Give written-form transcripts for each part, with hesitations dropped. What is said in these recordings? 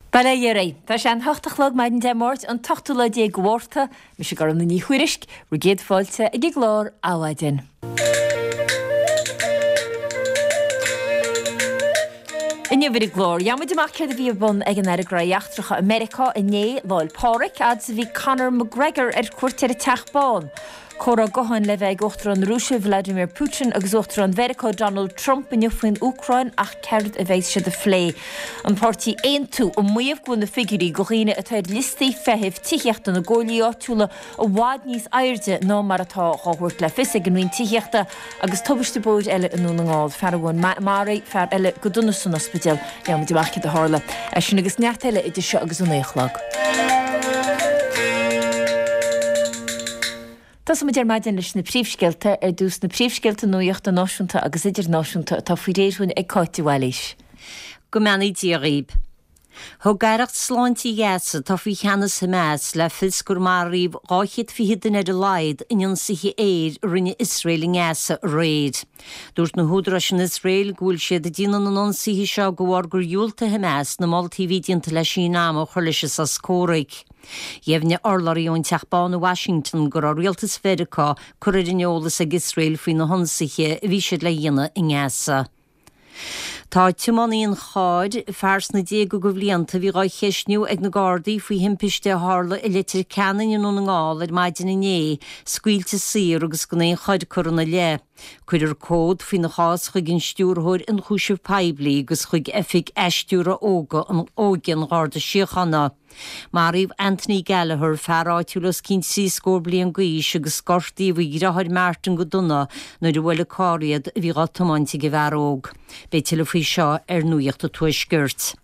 Bail ó Dhia oraibh. Tá sé an hocht a chlog maidin Dé Máirt, an t-ochtú lá déag de Mhárta. Mise Gormfhlaith Ní Thuairisg, bhur gcéad fáilte ag an gclár Adhmhaidin. Inniu ar an gclár, gheobhaidh muid amach céard a bhí ar bun ag an Aire Gnóthaí Eachtracha i Meiriceá inné, Lá 'le Pádraig, fhad is a bhí Conor McGregor ar cuairt ar an Teach Bán. Comhrá gutháin le bheith ag Uachtarán na Rúise Vladimir Putin agus Uachtarán Mheiriceá Donald Trump inniu faoin Úcráin ach céard a bheidh siad a phlé? An páirtí Aontú ag maíomh go bhfuil na figiúirí do dhaoine atá ar liostaí feithimh tithíochta na gcomhairlí áitiúla i bhfad níos airde ná mar atá dhá thabhairt le fios ag an Roinn Tithíochta agus tubaiste bóthair eile i nDún na nGall, fear amháin maraithe, fear eile go dona san ospidéal. Gheobhaidh muid amach céard a tharla. É sin agus neart eile idir seo agus a 9 a chlog. Tosóidh muid ar maidin leis na príomhscéalta. Ar dtús na príomhscéalta nuachta náisiúnta agus idirnáisiúnta atá faoi réir dhúinn ag Cáit de Bhailís. Go mbeannaí Dia dhaoib. Thug Aireacht Sláinte Ghaza, atá faoi cheannas Hamas, le fios gur maraíodh 220 duine ar a laghad in ionsaithe aeir a rinne Iosrael i nGaza aréir. Dúirt na húdaráis in Iosrael go bhfuil siad ag déanamh na n-ionsaithe seo de bharr gur dhiúltaigh Hamas na moltaí a bhí déanta le síneadh ama a chur leis an sos comhraic. Dheimhnigh urlabhraí ón Teach Bán i Washington go raibh rialtas Mheiriceá curtha ar an eolas ag Iosrael faoi na hionsaithe a bhí siad le dhéanamh i nGaza. Tá tiománaí an chairr, fear sna déaga de bhlianta, a bhí dhá cheistniú ag na Gardaí faoi thimpiste a tharla i Leitir Ceanainn i nDún na nGall ar maidin inné, scaoilte saor agus gan aon choir curtha ina leith. Cuirfear comhad faoina chás chuig an Stiúrthóir Ionchúiseamh Poiblí agus chuig Oifig Athstiúrtha Óige an Gharda Síochána. Maraíodh Anthony Gallagher, fear áitiúil os cionn trí scór bliain d'aois, agus gortaíodh a dheartháir Martin go dona nuair a bhuail carr iad a bhí dhá tiomáint ag an bhfear óg. Beidh tuilleadh faoi seo ar Nuacht an Tuaiscirt.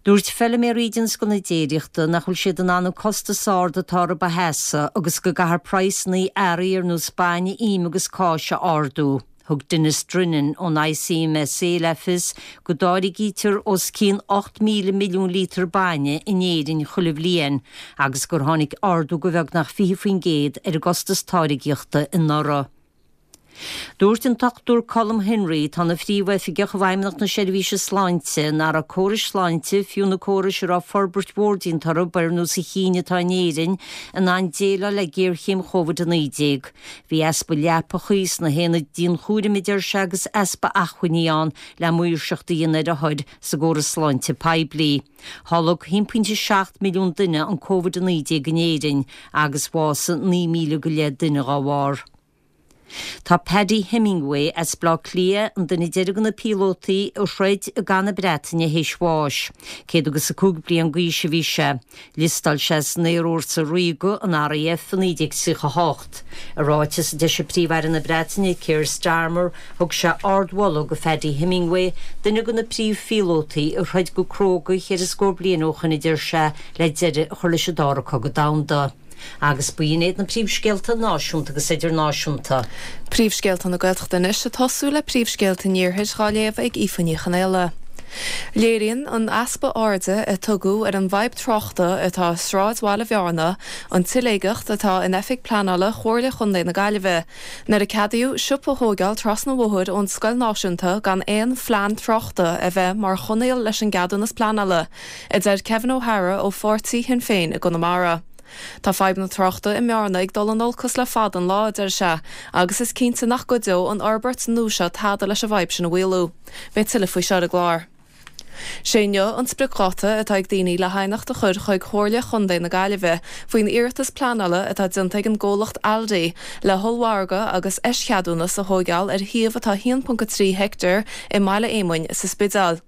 Dúirt feiliméaraí i dtionscal na déiríochta nach bhfuil siad in ann an costas ard atá orthu a sheasamh agus go gcaithfear praghsanna earraí ar nós bainne, im agus cáis a ardú. Thug Denis Drennan ón ICMSA le fios go dtáirgítear os cionn 8,000 milliún líotar bainne in Éirinn chuile bhliain agus gur tháinig ardú de bheagnach 20% ar an gcostas táirgeachta anuraidh. Dúirt an Dr Colm Henry, atá ina Phríomhoifigeach i bhFeidhmeannacht na Seirbhíse Sláinte, nach raibh córais sláinte, fiú na córais a raibh forbairt mhór déanta orthu ar nós an chinn atá in Éirinn, in ann déileáil le géarchéim Covid-19. Bhí easpa leapachaí sna haonaid dianchúraim, a deir sé, agus easpa acmhainní ann le maoirseacht a dhéanamh ar othair sa gcóras sláinte poiblí. Tholg 1.7 milliún duine an Covid-19 in Éirinn agus bhásaigh 9,000 go leith duine dá bharr. Tá Paddy Hemingway as Baile Átha Cliath, an duine deiridh de na píolótaí a throid i gCath na Breataine théis bháis. 105 bliain d'aois a bhí sé. Liostáil sé san Aerfhórsa Ríoga, an RAF, i 1938. I ráiteas a d'eisigh Príomh-Aire na Breataine, Keir Starmer, thug sé ardmholadh do Phaddy Hemingway, duine de na príomhphíolótaí a throid go cróga cheithre scór bliain ó shoin a deir sé, le deireadh a chur leis an Dara Cogadh Domhanda. Agus b'in iad na príomhscéalta náisiúnta agus idirnáisiúnta. Príomhscéalta na Gaeltachta anois ag tosú le príomhscéalta an Iarthair dhá léamh ag Aoife Ní Chonaola. Léiríonn an easpa airde a tugadh ar an bhfadhb tráchta atá i sráidbhaile Bhearna an tsiléigeacht atá in oifig pleanála Chomhairle Chontae na Gaillimhe nuair a ceadaíodh siopa a thóigeáil trasna an bhóthair ón scoil náisiúnta gan aon phlean tráchta a bheith mar choinníoll leis an gceadúnas pleanála, a deir Kevin O'Hara ó pháirtí Shinn Féin i gConamara. Tá fadhb na tráchta i mBearna ag dul in olcas le fada an lá, a deir sé, agus is cinnte nach gcuideoidh an fhorbairt nua seo tada leis an bhfadhb sin a mhaolú. Beidh tuilleadh faoi seo ar an gclár. Sé inniu an spriocdháta atá ag daoine le haighneacht a chur chuig Comhairle Chontae na Gaillimhe faoin iarratas pleanála atá déanta ag an gcomhlacht Aldi le hollmhargadh agus eischeadúnas a thóigeáil ar shuíomh atá 1.3 heicteár i mBaile Éamoinn sa Spidéal.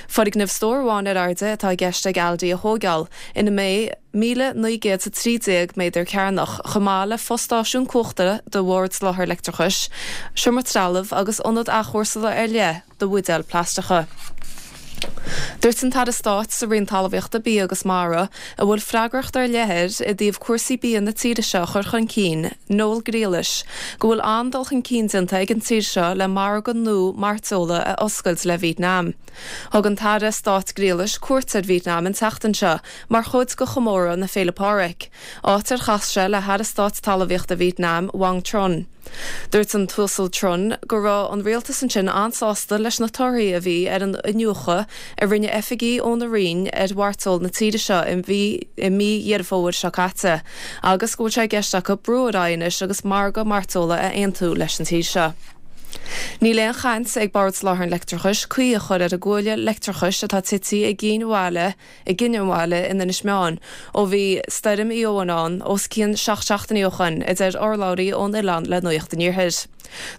Foirgneamh stór amháin ar airde atá i gceist ag Aldi a thóigeáil, ina mbeidh 1,913 méadar cearnach, chomh maith le fostáisiún cumhachta do Bhord Soláthair Leictreachais, seomra trealaimh agus ionad athchúrsála ar leith do bhuidéil plaisteacha. Dúirt an tAire Stáit sa Roinn Talmhaíochta, Bia agus Mara, a bhfuil freagracht ar leith air i dtaobh cúrsaí bia na tíre seo a chur chun cinn, Noel Grealish, go bhfuil an-dul chun cinn déanta ag an tír seo le margadh nua mairteola a oscailt le Vítneam. Thug an tAire Stáit Grealish cuairt ar Vítneam an tseachtain seo mar chuid de chomóradh na Féile Pádraig, áit ar chas sé le hAire Stáit Talmhaíochta Vítneam, Wang Trung. Dúirt an tUasal Trun go raibh an rialtas ansin an-sásta leis na torthaí a bhí ar an iniúchadh a rinne oifigigh óna Roinn ar mhairteoil na tíre seo i mí Dheireadh Fómhair seo caite agus go bhfuil sé i gceist acu brú ar aghaidh anois agus margadh mairteola a aontú leis an tír seo. Níl aon chaint ag Bord Soláthair an Leictreachais caoi a chur ar an gcuaille leictreachais atá tite i gCinn Bhaile i gCinn an Bhaile in Inis Meáin ó bhí Stoirm Éowyn ann os cionn 7 seachtainí ó shoin, a deir urlabhraí ón oileán le Nuacht an Iarthair.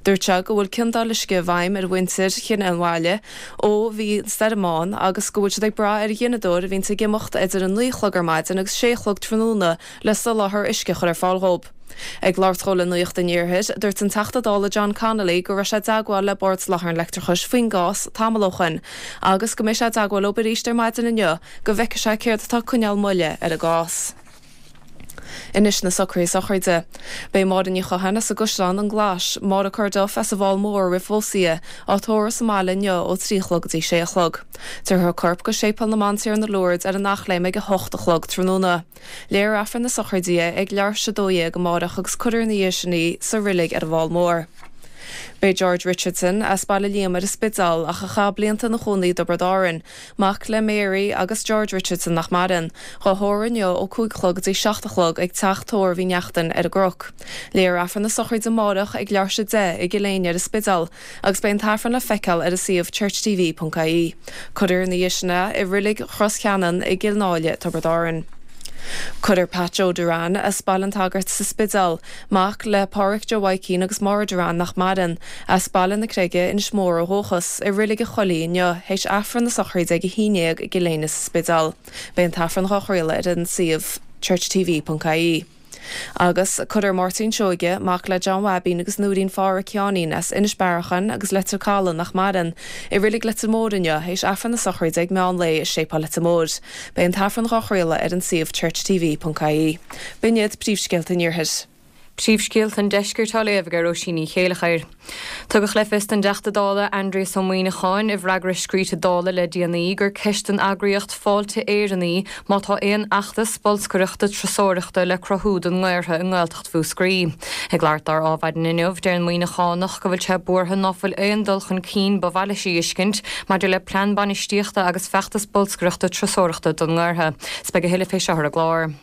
Dúirt sé go bhfuil ciondáil uisce i bhfeidhm ar mhuintir Chinn an Bhaile ó bhí an stoirm ann agus go bhfuil siad ag brath ar ghineadóir a bhíonns ag imeacht idir 9 a chlog ar maidin agus 6 a chlog tráthnóna le soláthar uisce a chur ar fáil dhóibh. Ag labhairt dhó le Nuacht an Iarthair, dúirt an Teachta Dála John Connolly go raibh sé i dteagmháil le Bord Soláthair an Leictreachais faoin gcás tamall ó shoin agus go mbeidh sé i dteagmháil leob arís ar maidin inniu go bhfeicfidh sé céard atá ag coinneáil moille ar an gcás. Anois na socruithe sochraide. Beidh Máire Ní Chatháin as an gCaisleán an Ghlais, Máire Corduff as an bhFál Mór roimh phósadh í, á tórramh sa mbaile inniu ó 3 a chlog go dtí 6 a chlog. Tabharfar a corp go Séipéal na mBantiarna Lourdes ar an Eachléim ag 8 a chlog tráthnóna. Léifear Aifreann na sochraide di ag leathuair tar éis 12 amárach agus cuirfear ina dhiaidh sin í sa reilig ar an bhFál Mór. Beidh George Richardson, as Baile Liam ar an Spidéal ach a chaith blianta ina chónaí i dTiobraid Árann, mac le Mary agus George Richardson nach maireann, dhá thórramh inniu ó 5 a chlog go dtí 7 a chlog ag Teach Tórraimh Uí Neachtain ar an gCnoc. Léifear Aifreann na sochraide amárach ag leathuair tar éis 10 i gCill Éinne ar an Spidéal agus beidh an tAifreann le feiceáil ar an suíomh churchtv.ie. Cuirfear ina dhiaidh sin é i Reilig Chros Cheanainn i gCill Náile, Tiobraid Árann. Cuirfear Pat Joe Duran as Baile an tSagairt sa Spidéal, mac le Pádhraic Joe Mhaidhcín agus Máire Duran nach maireann, as Baile na Creige, Inis Mór ó dhúchas, i Reilig an Choilligh inniu, théis Aifreann na sochraide ag 11 i gCill Éinne sa Spidéal. Beidh an tAifreann dhá chraoladh ar an suíomh churchtv.ie. Agus cuirfear Máirtín Seoige, mac le John Bhaibín agus Nóirín Phádhraic Sheáinín as Inis Bearachain agus Leitir Caladh nach maireann, i Reilig Leitir Móir inniu, théis Aifreann na sochraide ag meán lae i Séipéal Leitir Móir. Beidh an tAifreann dhá chraoladh ar an suíomh churchtv.ie. B'in iad príomhscéalta an Iarthair. Príomhscéalta an Deiscirt á léamh ag Róisín Ní Chéileachair. Tugadh le fios don dTeachta Dála Aindrias Ó Muimhneacháin i bhfreagra scríte Dála le déanaí gur ceist don eagraíocht Fáilte Éireann í má tá aon fheachtas bolscaireachta turasóireachta le cruthú don nGaorthadh i nGaeltacht Mhúscraí. Ag labhairt dó ar Adhmhaidin inniu, deir an Muimhneachánach go bhfuil sé buartha ná fuil aon dul chun cinn ba mhaith leis a fheiscint maidir le plean bainistíochta agus feachtas bolscaireachta turasóireachta don nGaorthadh. 'S beidh a thuilleadh fé seo ar an gclár.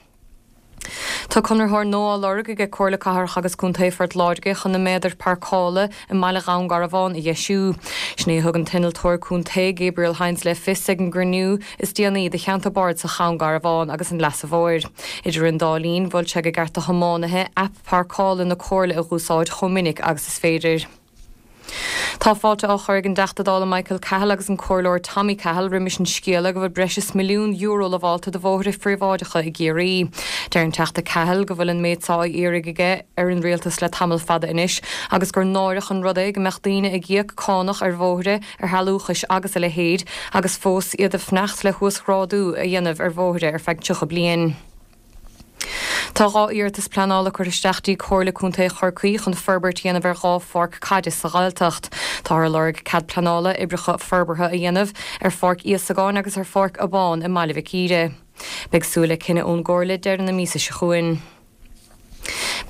Tá conraitheoir nua á lorg aige Comhairle Cathrach agus Contae Phort Láirge chun na méadair páirceála i mbaile Dhún Garbhán a dheisiú. Sin é a thug an t-innealtóir contae Gabriel Hynes le fios ag an gcruinniú is déanaí de Cheantar Bardasach Dhún Garbhán agus an Leasa Mhóir. Idir an dá linn, mhol sé go gceart do thiománaithe aip páirceála na Comhairle a dh'úsáid chomh minic agus is féidir. Tá fáilte á chur ag an dTeachta Dála Michael Cahill agus an Comhairleoir Tommy Cahill roimis an scéala go bhfuil breis is €1 milliún lamhálta do bhóithre phríobháideacha i gCiarraí. Deir an Teachta Cahill go bhfuil an méid seo á iarraidh aige ar an Rialtas le tamall fada anois agus gur náireach an rud é go mbeadh daoine ag íoc cánach ar bhóithre, ar shealúchais agus a leithéid agus fós iad ag fanacht le huasghrádú a dhéanamh ar bhóithre ar feadh 30 bliain. Tá 2 iarratas pleanála curtha isteach dtí Comhairle Contae Chorcaí chun forbairt a dhéanamh ar 2 pháirc caide sa Ghaeltacht. Táthar ag lorg cead pleanála oibreacha forbartha a dhéanamh ar Pháirc Íosagáin agus ar Pháirc Abán i mBaile Mhic Íre. Beidh súil le cinneadh ón gComhairle deireadh na míosa seo chugainn.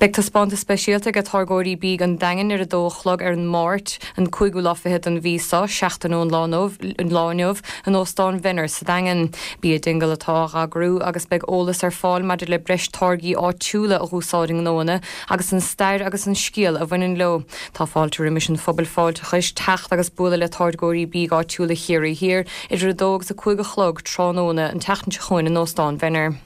Beidh taispeántas speisialta ag táirgeoirí bídh an Daingin ar a dó a chlog ar an Máirt, an cúigiú lá fichead den mhí seo, seachtain ón lá inniu, in Óstán Mhenner sa Daingean. Bia Dingle atá á eagrú agus beidh eolas ar fáil maidir le breis táirgí áitiúla a dh'úsáid i ngnóanna agus an stair agus an scéal a bhaineann leo. Tá fáilte roimis an phobal fáilteachais teacht agus bualadh le táirgeoirí bídh áitiúla Chiarraí Thiar idir 2 agus 5 a chlog tráthnóna an tseachtain seo chugainn in Óstán Mhenner.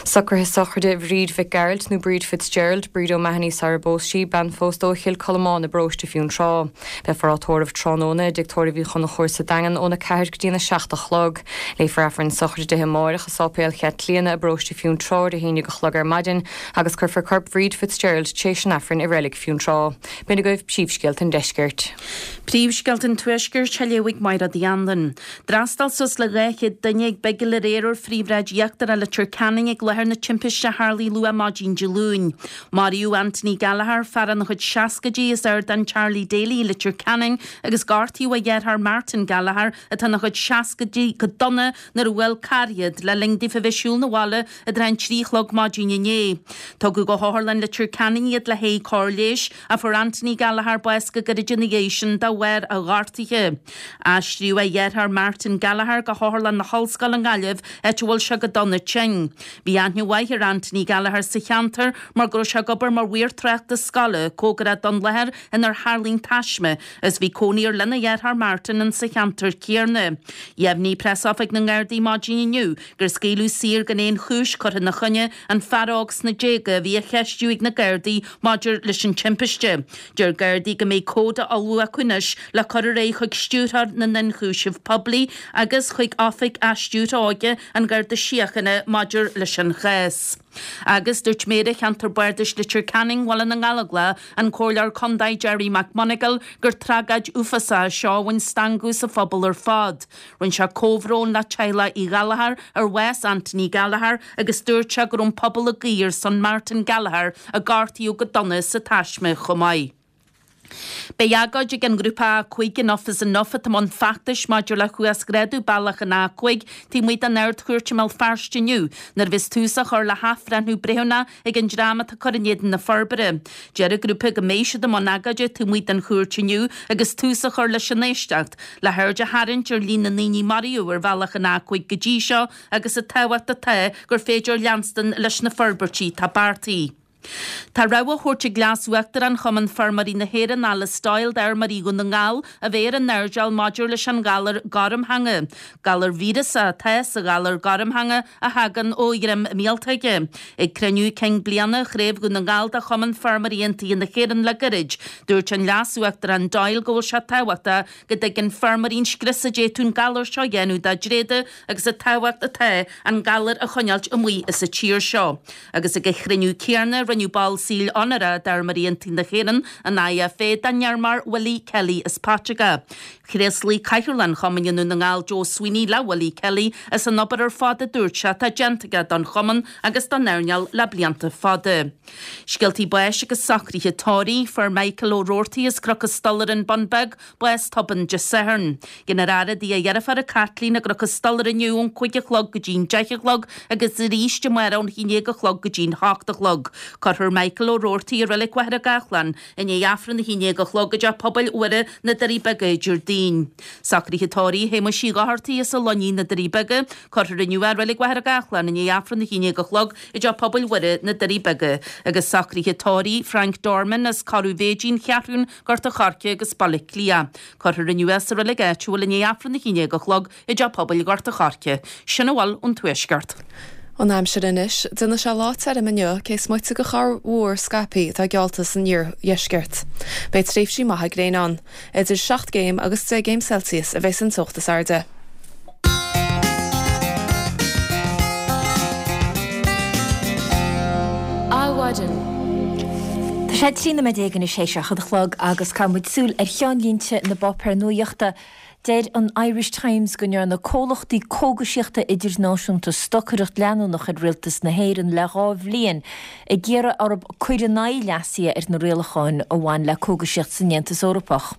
Socruithe sochraide Bhríd Mhic Gearailt nó Bríd Fitzgerald, Bríd O'Mahony sara bpós sí, bean phósta ó Chill Colmáin i bparóiste Fionntrá. Beifear á tórramh tráthnóna i dTigh Tórraimh Uí Chonchúir sa Daingean óna 4 go dtína 7 a chlog. Léifear Aifreann sochraide di amáireach i Sáipéal Chaitlíona i bparóiste Fionntrá ar a haon dhéag a chlog ar maidin agus cuirfear corp Bhríd Fitzgerald tréis an Aifrinn i Reilig Fionntrá. B'in agaibh príomhscéalta an Deiscirt. Príomhscéalta an Tuaiscirt á léamh ag Máire Uí Anluain. D'fhreastail suas le 200 duine ag bigil aréir ar phríomhshráid íochtarach Leitir Ceanainn ag. láthair na timpiste a tharlaigh luath maidin Dé Luain. Maraíodh Anthony Gallagher, fear ina chuid seascaidí as Ardán Charlie Daly i Leitir Ceanainn agus gortaíodh a dheartháir Martin Gallagher atá ina chuid seascaidí go dona nuair a bhuail carr iad le linn daofa bheith ag siúl 'na bhaile i dtrátha an 3 a chlog maidin inné. Tugadh go hOtharlann Leitir Ceanainn iad le haghaidh cóir leighis ach fuair Anthony Gallagher bás go gairid ina dhiaidh sin de bharr a ghortaithe. Aistríodh a dheartháir Martin Gallagher go hOtharlann na hOllscoile i nGaillimh áit a bhfuil sé go dona tinn. Bhí aithne mhaith ar Anthony Gallagher sa cheantar mar go raibh sé ag obair mar mhaor tráchta scoile cóngarach don láthair inar tharlaigh an taisme agus bhí cónaí air lena dheartháir Martin in sa cheantar céanna. Dheimhnigh Preasoifig na nGardaí maidin inniu gur scaoileadh saor gan aon chúis curtha ina choinne an fear óg sna déaga a bhí á cheistiú ag na Gardaí maidir leis an timpiste. Deir Gardaí go mbeidh comhad á ullmhú acu anois le cur ar aghaidh chuig Stiúrthóir na nIonchúiseamh Poiblí agus chuig Oifig Athstiúrtha Óige an Gharda Síochána maidir leis an chás. Agus dúirt Méara Cheantar Bardais Leitir Ceanainn, Bhaile na nGallóglach, an Comhairleoir Contae Gerry McMonagall, gur tragóid uafásach é seo a bhain stangadh as an phobal ar fad. Rinne sé comhbhrón le teaghlach Uí Ghallchóir ar bhás Anthony Gallagher agus dúirt sé go raibh an pobal ag guí ar son Martin Gallagher a gortaíodh go dona sa taisme chomh maith. Beidh agóid ag an ngrúpa A5 Enough is Enough atá i mbun feachtais maidir le huasghrádú bealach an A5 taobh amuigh den Ard-Chúirt i mBéal Feirste inniu nuair a bheas tús á chur le hathbhreithniú breithiúnach ag an dream atá ag cur in éadan na forbartha. Deir an grúpa go mbeidh siad i mbun agóide taobh amuigh den chúirt inniu agus tús á chur leis an éisteacht, le haird a tharraingt ar líon na ndaoine a maraíodh ar bhealach an A5 go dtí seo agus an tábhacht atá gur féidir leanstan leis na forbairtí atá beartaithe. Tá rabhadh á thabhairt ag Leas-Uachtarán Chumann Feirmeoirí na hÉireann, Alice Doyle, d'fheirmeoirí Dhún na nGall a bheith ar a n-airdeall maidir leis an ghalar gormtheanga. Galar víreasach atá sa ghalar gormtheanga a thagann ó dhroim míoltóige. Ag cruinniú cinn bliana Chraobh Dhún na nGall de Chumann Feirmeoirí Aontaithe na hÉireann le gairid, dúirt an Leas-Uachtarán Doyle go bhfuil sé tábhachtach go dtuigeann feirmeoirí an scrios a d'fhéadfadh an galar seo a dhéanamh dá dtréada agus an tábhacht atá an galar a choinneáilt amuigh as an tír seo. Agus ag an chruinniú céanna, rinneadh ball saoil onóracha d'Fheirmeoirí Aontaithe na hÉireann, an IFA, den fheirmeoir Willie Kelly as Paiteagó. Thréaslaigh Cathaoirleach an Chumainn i nDún na nGall, Joe Sweeney, le Willie Kelly as an obair ar fad a dúirt sé atá déanta aige don chumann agus don earnáil le blianta fada. Scéaltaí báis agus socruithe tórraimh, Fuair Michael Ó Roarty as Cnoc an Stolaire, An Bun Beag, bás tobann Dé Sathairn. Déanfar a fhaire i dtigh a dheirféara Caitlín i gCnoc an Stolaire inniu ón 5 a chlog go dtí'n 10 a chlog agus arís amárach ón 11 a chlog go dtí'n 8 a chlog. Cuirfear Michael Ó Roarty i Reilig Mhachaire Gathlán i ndiaidh Aifreann a 11 a chlog i dTeach Pobail Mhuire, na Doirí Beaga, Déardaoin. Socruithe tórraimh Shéamuis Uí Dhochartaigh as an Luinín, na Doirí Beaga, Cuirfear inniu é i Reilig Mhachaire Gathlán i ndiaidh Aifreann a 11 a chlog i dTeach Pobail Mhuire, na Doirí Beaga, agus socruithe tórraimh Frank Dorman as Corradh Mhéidín, Cheathrún, Gort a' Choirce agus Baile Átha Cliath. Cuirfear inniu é sa reilig áitiúil i ndiaidh Aifreann a 11 a chlog i dTeach Pobail Ghort a' Choirce. Sin a bhfuil ón Tuaisceart. An aimsir anois. Déanfaidh sé lá tirim inniu, cé is moite de chorrmhúr scaipthe atá geallta san iardheisceart. Beidh tréimhsí maithe gréine ann. Idir 7 gcéim agus 10 gcéim Celsius a bheas an teocht is airde. Adhmhaidin. Tá sé 13 nóiméad anois théis a 7 a chlog agus caithfidh muid súil ar cheannlínte na bpáipéar nuaíochta. Deir an Irish Times go ndearna comhlachtaí cógaisíochta idirnáisiúnta stocaireacht leanúnach ar rialtas na hÉireann le 2 bhliain ag iarraidh orthu cur in aghaidh leasuithe ar na rialacháin a bhain le cógaisíocht san Aontas Eorpach.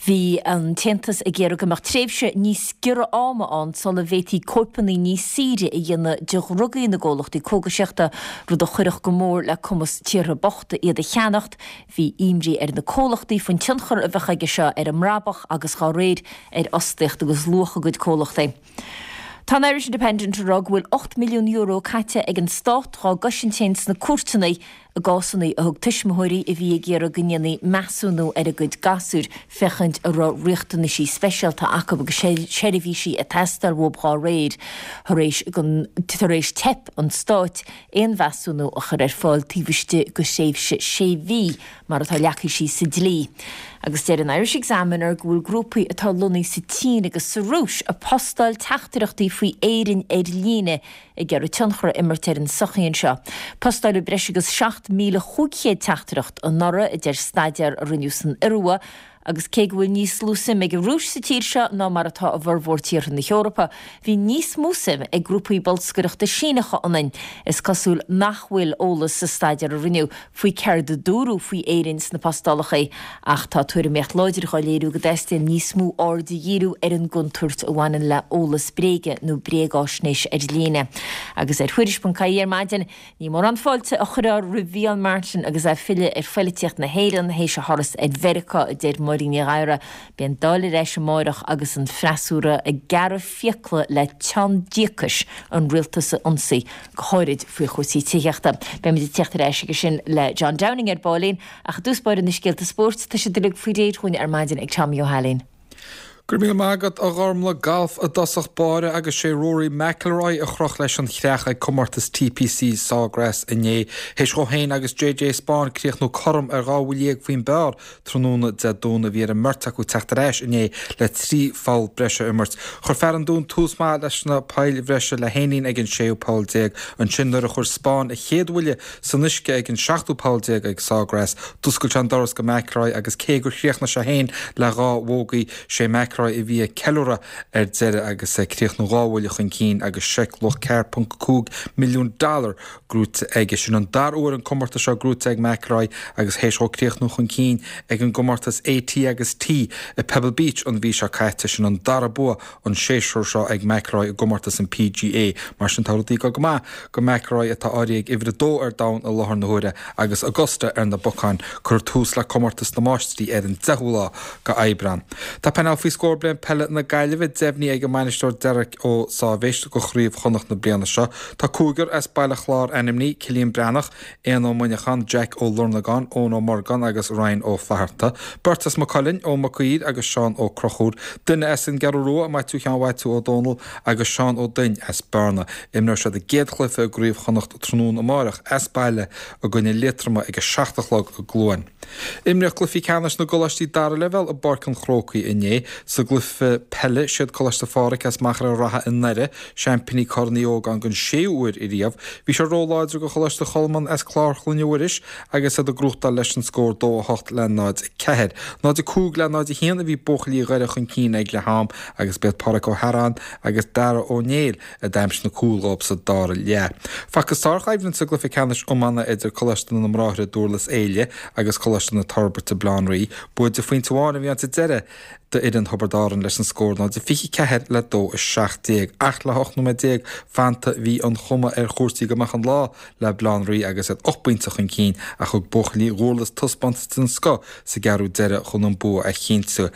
Bhí an tAontas ag iarraidh go mbeadh tréimhse níos giorra ama ann sula bhféadfaí cóipeanna níos saoire a dhéanamh de dhrugaí na gcomhlachtaí cógaisíochta, rud a chuirfeadh go mór le cumas tíortha bochta iad a cheannacht. Bhí imní ar na comhlachtaí faoin tionchar a bheadh aige seo ar a mbrabach agus dá réir ar fhostaíocht agus luach a gcuid comhlachtaí. Tá an Irish Independent ag rá go bhfuil €8 milliún caite ag an Stát dhá gcosaint féin sna cúirteanna i gcásanna a thug tuismitheoirí a bhí ag iarraidh go ndéanfaí measúnú ar a gcuid gasúir féachaint an raibh riachtanaisí speisialta acu agus seirbhísí ag teastáil uathu dhá réir tar éis tar éis teip an Stáit aon mheasúnú a chur ar fáil taobh istigh de thréimhse sé mhí, mar atá leagtha síos sa dlí. Agus deir an Irish Examiner go bhfuil grúpaí atá lonnaithe sa tSín agus sa Rúis ag postáil teachtaireachtaí faoi Éirinn ar líne ag iarraidh tionchar a imirt ar an tsochaí anseo. Postáileadh breis agus 7,500 teachtaireacht anuraidh, a deir staidéar a rinneadh san Iorua. Agus cé go bhfuil níos lú suim ag an Rúis sa tír seo ná mar atá i bhformhór tíortha na hEorpa, bhí níos mó suim ag grúpaí bolscaireachta Síneacha ionainn. Is cosúil nach bhfuil eolas sa staidéar a rinneadh faoi céard a dúradh faoi Éirinn sna postálacha, ach tá tuairimíocht láidir dhá léiriú go dteastaíonn níos mó aird a dhíriú ar an gcontúirt a bhaineann le eolas bréige nó bréagáisnéis ar líne. Agus ar Thuairisc.ie ar maidin, Ní mórán fáilte a chuirfear roimh Mhícheál Martin agus é ag filleadh ar phoilitíocht na hÉireann théis a thuras ar Mheiriceá, a deir Máirín Ní Ghadhra. Beidh an Dáil ar ais amáireach agus an freasúra ag gearradh fiacla le teann díocais an rialtas a ionsaí, go háirid faoi chúrsaí tithíochta. Beimid ag tíocht ar ais aige sin le John Downing ar baillín, ach i dtús báire na scéalta spóirt, tá siad uilig faoi réir dhúinn ar maidin ag Tommy Ó hAilín. Go raibh míle maith agat, a Ghormlaith. Galf i dtosach báire agus sé Rory McIlroy a chroch leis an chreach ag comórtas TPC Sawgrass inné. Théis dhó féin agus JJ Spaun críochnú cothrom ar 12 bhuille faoin bpar tráthnóna Dé Domhnaigh bhí ar an mbeirt acu teacht ar ais inné le 3 pholl breise a imirt. Chuir fear an Dúin tús maith leis na poill bhreise le haon líon ag an séú poll déag. Ansin nuair a chuir Spaun a chéad bhuille san uisce ag an seachtú poll déag ag Sawgrass, d'oscail sé an doras go McIlroy agus cé gur chríochnaigh sé féin le dhá bhógaí, sé McIlroy a bhí ag ceiliúradh ar deireadh agus é ag críochnú dhá bhuille chun cinn agus seic luach 4.5 milliún dollar gnóite aige. Sin an dara huair an comórtas seo gnóite ag McIlroy agus théis dhó críochnú chun cinn ag an gcomórtas AT agus T i Pebble Beach an mhí seo caite, sin an dara bua an séasúr seo ag McIlroy i gcomórtas an PGA. Mar sin tá rudaí ag dul go maith go McIlroy atá áirithe ag uimhir a dó ar domhan i láthair na huaire agus Augusta ar na bacáin. Cuirfear tús le comórtas na Máistrí ar an 10ú lá go Aibreán. Tá painéal faoi scór bliain peile na Gaillimhe deimhnithe ag an mbainisteoir Derek Ó Sáibhéis go Chraobh Chonnacht na bliana seo. Tá cúigear as Baile Chláir ainmnithe, Cillian Breathnach, Éanna Ó Muineacháin, Jack Ó Lornagáin, Eoin Ó Morgáin agus Ryan Ó Flatharta. Beirt as Maigh Cuilinn, Eoin Mac Uidhir agus Seán Ó Conchúir. Duine as an gCeathrú Rua, Maitiú Sheáin Mhaitiú Ó Dónaill agus Seán Ó Duinn as Bearna. Imreoidh siad a gcéad chluiche i gCraobh Chonnacht tráthnóna amáireach as baile i gcoinne Liatroma ag a 7 a chlog i gCluain. Imríodh cluichí ceannais na gcoláistí dara leibhéal i bPáirc an Chrócaigh inné. Sa gcluiche peile, siad Coláiste Phádraig as Machaire Rátha i nDoire, seaimpíní Corn Uí Ógáin den séú huair ariamh. Bhí sé róláidir do Choláiste Cholmáin as Clár Chloinne Mhuiris agus iad ag gnóthachtáil leis an scór 2, 8 le 0, 4. 0, 5 le 0, 1 a bhí buachaillí Dhoire chun cinn ag leath am agus b'iad Pádraic Ó hEaráin agus Dara Ó Néill a d'aimsigh na cúil dhóibh sa dara leath. Facthas sárchoimhlint sa gcluiche ceannais iomána idir Coláiste na mBráithre Dúrlas Éile agus Coláiste na Toirbhirte Baile Átha an Rí. Bua de phointe amháin a bhí ann sa deireadh d'fhoireann Thiobraid Árann leis an scór 0-24 le 2-17. Ach le 18 nóiméad fanta bhí an chuma ar chúrsaí go mbeadh an lá le Baile Átha an Rí agus iad 8 bpointe chun cinn ach thug buachaillí Dhúrlas taispeántas den scoth sa gceathrú deiridh chun an bua a chinntiú.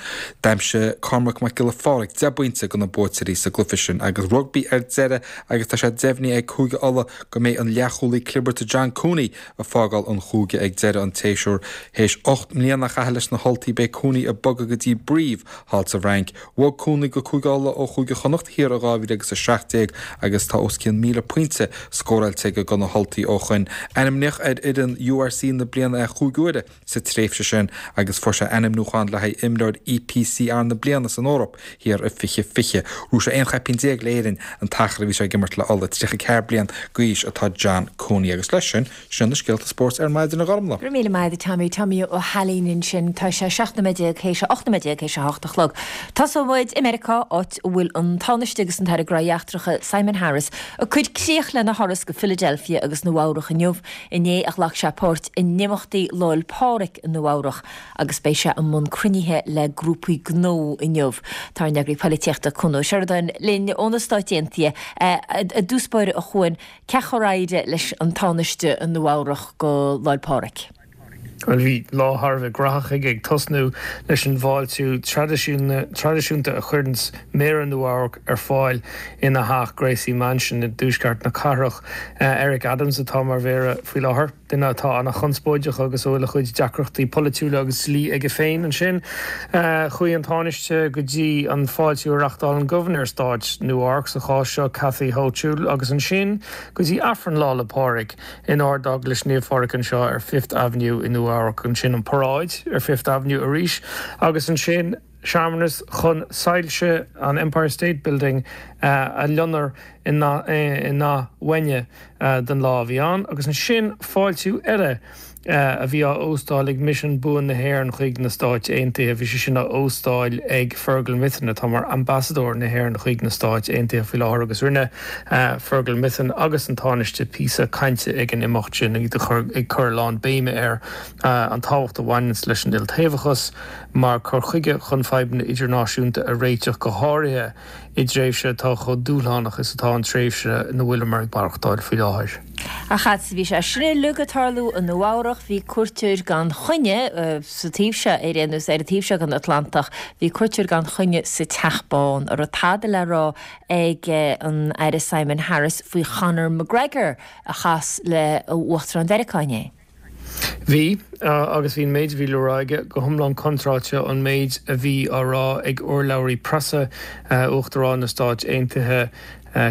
D'aimsigh Cormac Mac Giolla Phádraig 10 bpointe do na buaiteoirí sa gcluiche sin agus rugbaí ar deireadh agus tá sé deimhnithe ag Cúige Uladh go mbeidh an leathchúlaí clibirte John Cooney ag fágáil an chúige ag deireadh an tséasúir. Théis 8 mbliana a chaitheamh leis na hUltaigh beidh Cooney ag bogadh go dtí Brive thall sa bhFrainc. Bhog Cooney go Cúige Uladh ó Chúige Chonnacht thiar i 2017 agus tá os cionn 1,000 pointe scóráilte aige do na hUltaigh ó shoin. Ainmníodh ar fhoireann URC na bliana é chúig uaire sa tréimhse sin agus fuair sé ainmniúchán le haghaidh imreoir EPCR na bliana san Eoraip thiar i 2020. Ghnóthaigh sé 11 chaipín le Éirinn an t-achar a bhí sé ag imirt le Ulaidh. 34 bliain d'aois atá John Cooney agus leis sin, sin na scéalta spóirt ar maidin a Ghormlaith. Go raibh míle maith agat Tommy, Tommy Ó hAilín ansin. Tá sé 17 nóiméad théis, 18 nóiméad théis a hocht a chlog. Tosóidh muid i Meiriceá, áit a bhfuil an Tánaiste agus an tAire Gnóthaí Eachtracha Simon Harris ag cur críoch lena thuras go Philadelphia agus Nua Eabhrach inniu. Inné a ghlac sé páirt in imeachtaí Lá 'le Pádraig i Nua Eabhrach agus beidh sé i mbun cruinnithe le grúpaí gnó inniu. Tá ár n-eagraí poilitíochta Cuan Ó Seireadáin linn ó na Stáit Aontaithe. I dtús báire a Chuain, cén chaoi ar éirigh leis an Tánaiste i Nua Eabhrach go Lá 'le Pádraig? Bhuel, bhí lá thar a bheith graitheach aige, ag tosnú leis an bhfáiltiú traidisiúnta a chuireanns Méara Nua Eabhrac ar fáil ina theach, Gracie Mansion, i dtuaisceart na cathrach. Eric Adams atá mar mhéara faoi láthair, duine atá an-chonspóideach agus a bhfuil a chuid deacrachtaí polaitiúla agus dlí aige féin. Ansin, chuaigh an Tánaiste go dtí an fáiltiú a reachtálann Gobharnóir Stáit Nua Eabhrac, sa chás seo Kathy Hochul, agus ansin go dtí Aifreann Lá 'le Pádraig. in Ard-Eaglais Naomh Phádraig anseo ar Fifth Avenue i Nua Eabhrac, ansin an paráid ar Fifth Avenue arís agus ansin searmanas chun soilse an Empire State Building a loinnir i ndath uaine don lá a bhí ann agus ansin fáiltiú eile. a bhí á óstáil ag Misean Buan na hÉireann chuig na Stáit Aontaithe. Bhí sé sin á óstáil ag Fergal Mythen, atá mar Ambasadóir na hÉireann chuig na Stáit Aontaithe faoi láthair agus rinne Fergal Mythen agus an Tánaiste píosa cainte ag an imeacht sin, iad ag cur a lán béime ar an tábhacht a bhaineanns leis an iltaobhachas mar cur chuige chun fadhbanna idirnáisiúnta a réiteach, go háirithe i dtréimhse atá chomh dúshlánach is atá an tréimhse ina bhfuileamar ag maireachtáil faoi láthair. Ach fhad is a bhí sé sin uilig ag tarlú i Nua Eabhrach, bhí cuairteoir gan choinne sa taobh seo, ar aon nós, ar an taobh seo den Atlantach, bhí cuairteoir gan choinne sa Teach Bán, a raibh tada le rá ag an Aire Simon Harris faoi Chonor McGregor a chas le Uachtarán Mheiriceá inné. Bhí, agus bhí an méid a bhí le rá aige go hiomlán contráilte ón méid a bhí á rá ag urlabhraí preasa Uachtarán na Stáit Aontaithe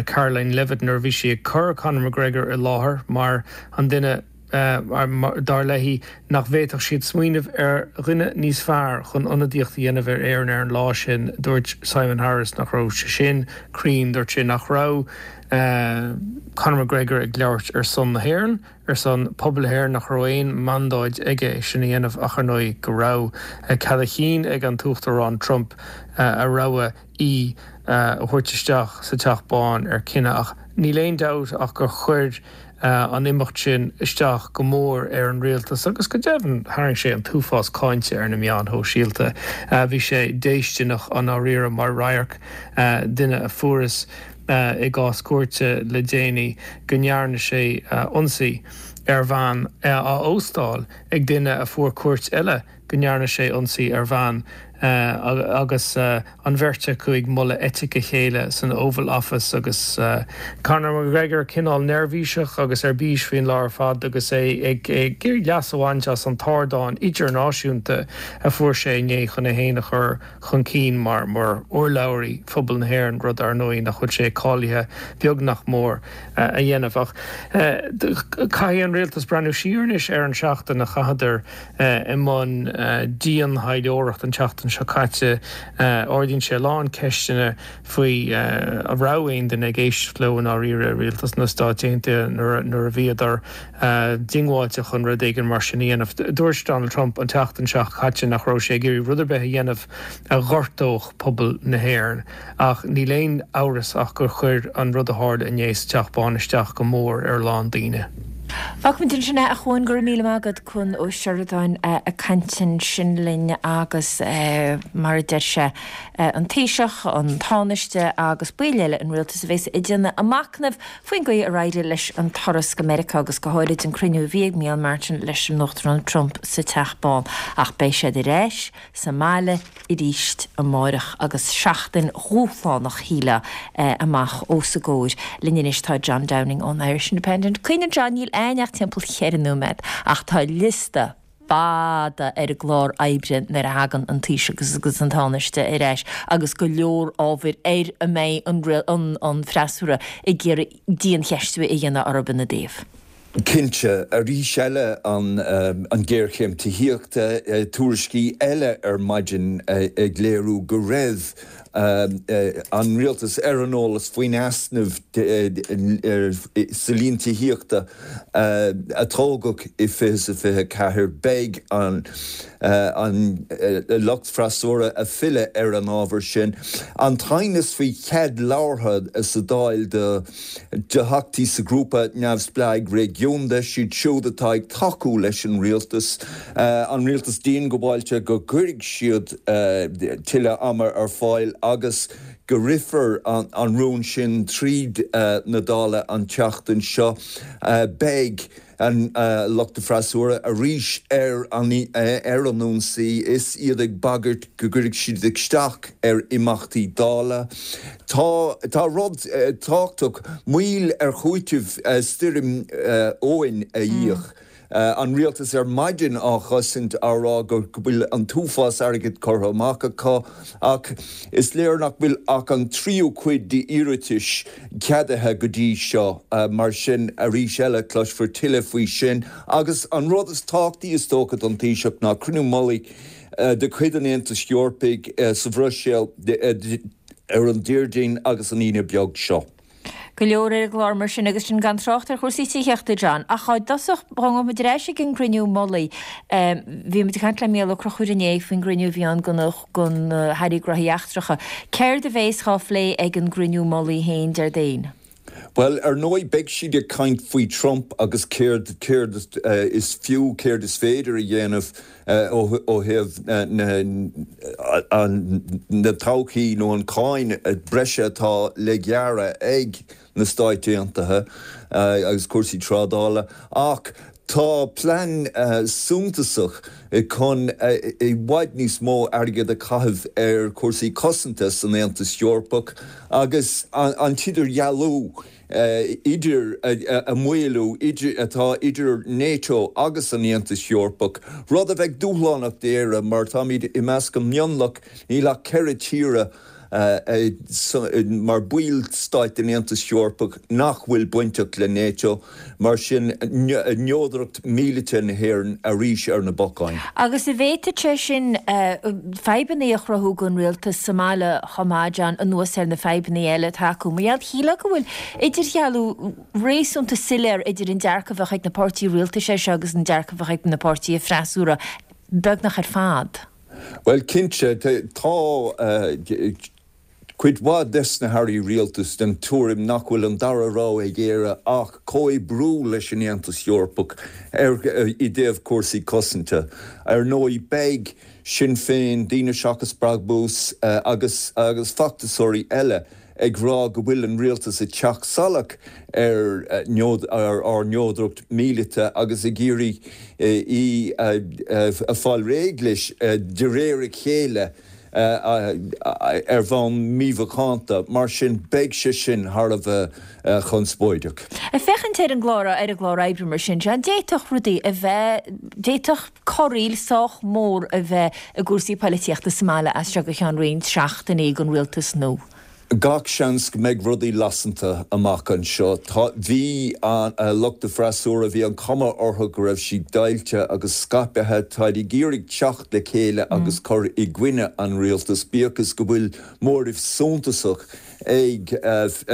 Karoline Leavitt nuair a bhí sí ag cur Conor McGregor i láthair mar an duine, dar léi, nach bhféadfadh siad smaoineamh ar dhuine níos fearr chun ionadaíocht a dhéanamh ar Éirinn ar an lá sin. Dúirt Simon Harris nach raibh sé sin cruinn. Dúirt sé nach raibh Conor McGregor ag labhairt ar son na hÉireann. ar son pobal na hÉireann nach raibh aon mandáid aige é sin a dhéanamh ach ar ndóigh go raibh cead a chinn ag an tUachtarán Trump a rogha aoi a thabhairt isteach sa Teach Bán ar cinneadh ach níl aon dabht ach gur chuir an imeacht sin isteach go mór ar an rialtas agus go deimhin tharraing sé an t-uafás cáinte ar na meáin shóisialta. Bhí sé déistineach i ndáiríre mar radharc duine a fuarthas i gcás cúirte le déanaí go ndearna sé ionsaí ar bhean, á óstáil ag duine a fuair cúirt eile go ndearna sé ionsaí ar bhean agus an bheirt acu ag moladh eitic a chéile san Oval Office agus Conor McGregor cineál neirbhíseach agus ar bís faoin lá ar fad agus é ag iarraidh leas a bhaint as an t-ardán idirnáisiúnta a fuair sé inné chun é féin a chur chun cinn mar urlabhraí phobal na hÉireann, rud ar ndóigh nach bhfuil sé cáilithe, beag nach mór, a dhéanamh. Ach caithfidh an rialtas breathnú siar anois ar an seachtain a chaitheadar i mbun dian-thaidhleoireacht an tseachtain seo caite. Ardaíonn sé a lán ceisteanna faoi an raibh aon duine ag éisteacht leo i ndáiríre i rialtas na Stáit Aontaithe nuair a bhíodar diongbháilte chun rud éigin mar sin a dhéanamh. Dúirt Donald Trump an tseachtain seo caite nach raibh sé ag iarraidh rud ar bith a dhéanamh a ghortódh pobal na hÉireann ach níl aon amhras ach gur chuir an rud a tharla inné sa Teach Bán isteach go mór ar a lán daoine. Fágfaimid ansin é, a Chuain, go raibh míle maith agat, Cuan Ó Seireadáin ag caint ansin linn agus mar a deir sé, an Taoiseach, an Tánaiste agus baill eile an rialtais a bheas ag déanamh a machnaimh faoin gcaoi ar éirigh leis an turas go Meiriceá agus go háirid an cruinniú a bhí ag Micheál Martin leis an Uachtarán Trump sa Teach Bán. Ach beidh siad ar ais sa mbaile arís amáireach agus seachtain dhúshlánach, shílfeá, amach os a gcomhair. Linn anois tá John Downing ón Irish Independent. Cuimhnigh John, níl a'ainn ach timpeall cheithre nóiméad ach tá liosta fada ar an gclár oibre nuair a thagann an Taoiseach agus an Tánaiste ar ais agus go leor ábhair ar a mbeidh an freasúra ag iarraidh diancheistiú a dhéanamh orthu ina dtaobh. Cinnte, arís eile an ghéarchéim tithíochta, tuairiscí eile ar maidin ag léiriú go raibh an rialtas ar an eolas faoin easnamh sa líon tithíochta a tógadh i 2024. Beidh an lucht freasúra ag filleadh ar an ábhar sin. An t-aighneas faoi chead labhartha sa Dáil do theachtaí sa ghrúpa neamhspleáigh réigiúnda, siad siúd atá ag tacú leis an rialtas, an rialtas diongbháilte go gcuirfidh siad tuilleadh ama ar fáil agus go rithfear an rún sin tríd na Dála an tseachtain seo. Beidh an lucht freasúra arís ar an ionsaí is iad ag bagairt go gcuirfidh siad isteach ar imeachtaí Dála. Tá tá rud tábhachtach, moill ar chúiteamh stoirm Éowyn a íoc. An rialtas ar maidin á chosaint á rá go bhfuil an t-uafás airgid curtha amach acu ach is léir nach bhfuil ach an tríú cuid d'iarratais ceadaithe go dtí seo. Mar sin, arís eile, cloisfear tuilleadh faoi sin. Agus an rud is tábhachtaí is dócha don Taoiseach ná cruinniú mullaigh de chuid an Aontais Eorpaigh sa Bhruiséil ar an Déardaoin agus an Aoine beag seo. Go leor ar an gclár mar sin agus sin gan trácht ar chúrsaí tithíochta, John. Ach i dtosach, dá ngabhfaidh muid ar ais ag an gcruinniú mullaigh, bhí muid ag caint le Mícheál Ó Conchúir inné faoin gcruinniú a bhí ann do na hAirí Gnóthaí Eachtracha. Céard a bhéas dhá phlé ag an gcruinniú mullaigh féin Déardaoin? Bhuel, ar ndóigh, beidh siad ag caint faoi Trump agus céard, céard is fiú, céard is féidir a dhéanamh ó thaobh na todhchaí nó an cáin breise atá le gearradh ag na Stáit Aontaithe agus cúrsaí trádála. Ach tá plean suntasach chun i bhfad níos mó airgead a chaitheamh ar chúrsaí cosanta san Aontas Eorpach agus an t-idirdhealú idir a mhaolú idir atá idir NATO agus an Aontas Eorpach, rud a bheidh dúshlánach d'Éire mar táimid i measc an mionlach, níl ach 4 tíre mar baill stáit den Aontas Eorpach nach bhfuil bainteach le NATO, mar sin neodracht míleata na hÉireann arís ar na bacáin. Agus an bhféadfadh sé sin fadhbanna a chruthú don rialtas sa mbaile chomh maith, John, anuas ar na fadhbanna eile atá acu. Mar gheall, shílfeá go bhfuil idirdhealú réasúnta soiléir idir an dearcadh a bheadh ag na páirtithe rialtais air seo agus an dearcadh a bheadh ag na páirtithe freasúra, beagnach ar fad. Bhuel, cinnte, tá cuid mhaith des na hairí rialtais den tuairim nach bhfuil an dara rogha ag Éire ach comhoibriú leis an Aontas Eorpach ar i dtaobh cúrsaí cosanta. Ar ndóigh, beidh Sinn Féin, Daoine Seachas Brabús agus agus feachtasóirí eile ag rá go bhfuil an rialtas ag teacht salach ar ár neodracht míleata agus ag iarraidh í a fáil réidh leis de réir a chéile ar bhonn mímhacánta. Mar sin, beidh sé sin thar a bheith conspóideach. Ag féachaint ar an gclár ar an gclár oibre mar sin, John, d'fhéadfadh rudaí a bheith, d'fhéadfadh corraíl sách mór a bheith i gcúrsaí poilitíochta sa mbaile as seo go ceann roinnt seachtainí don rialtas nua. Gach seans go mbeidh rudaí lasanta amach anseo. Tá, bhí an, lucht an freasúra, bhí an chuma orthu go raibh siad deighilte agus scaipthe. Táid ag iarraidh teacht le chéile agus cur i gcoinne an rialtais, bíodh is go bhfuil móramh suntasach ag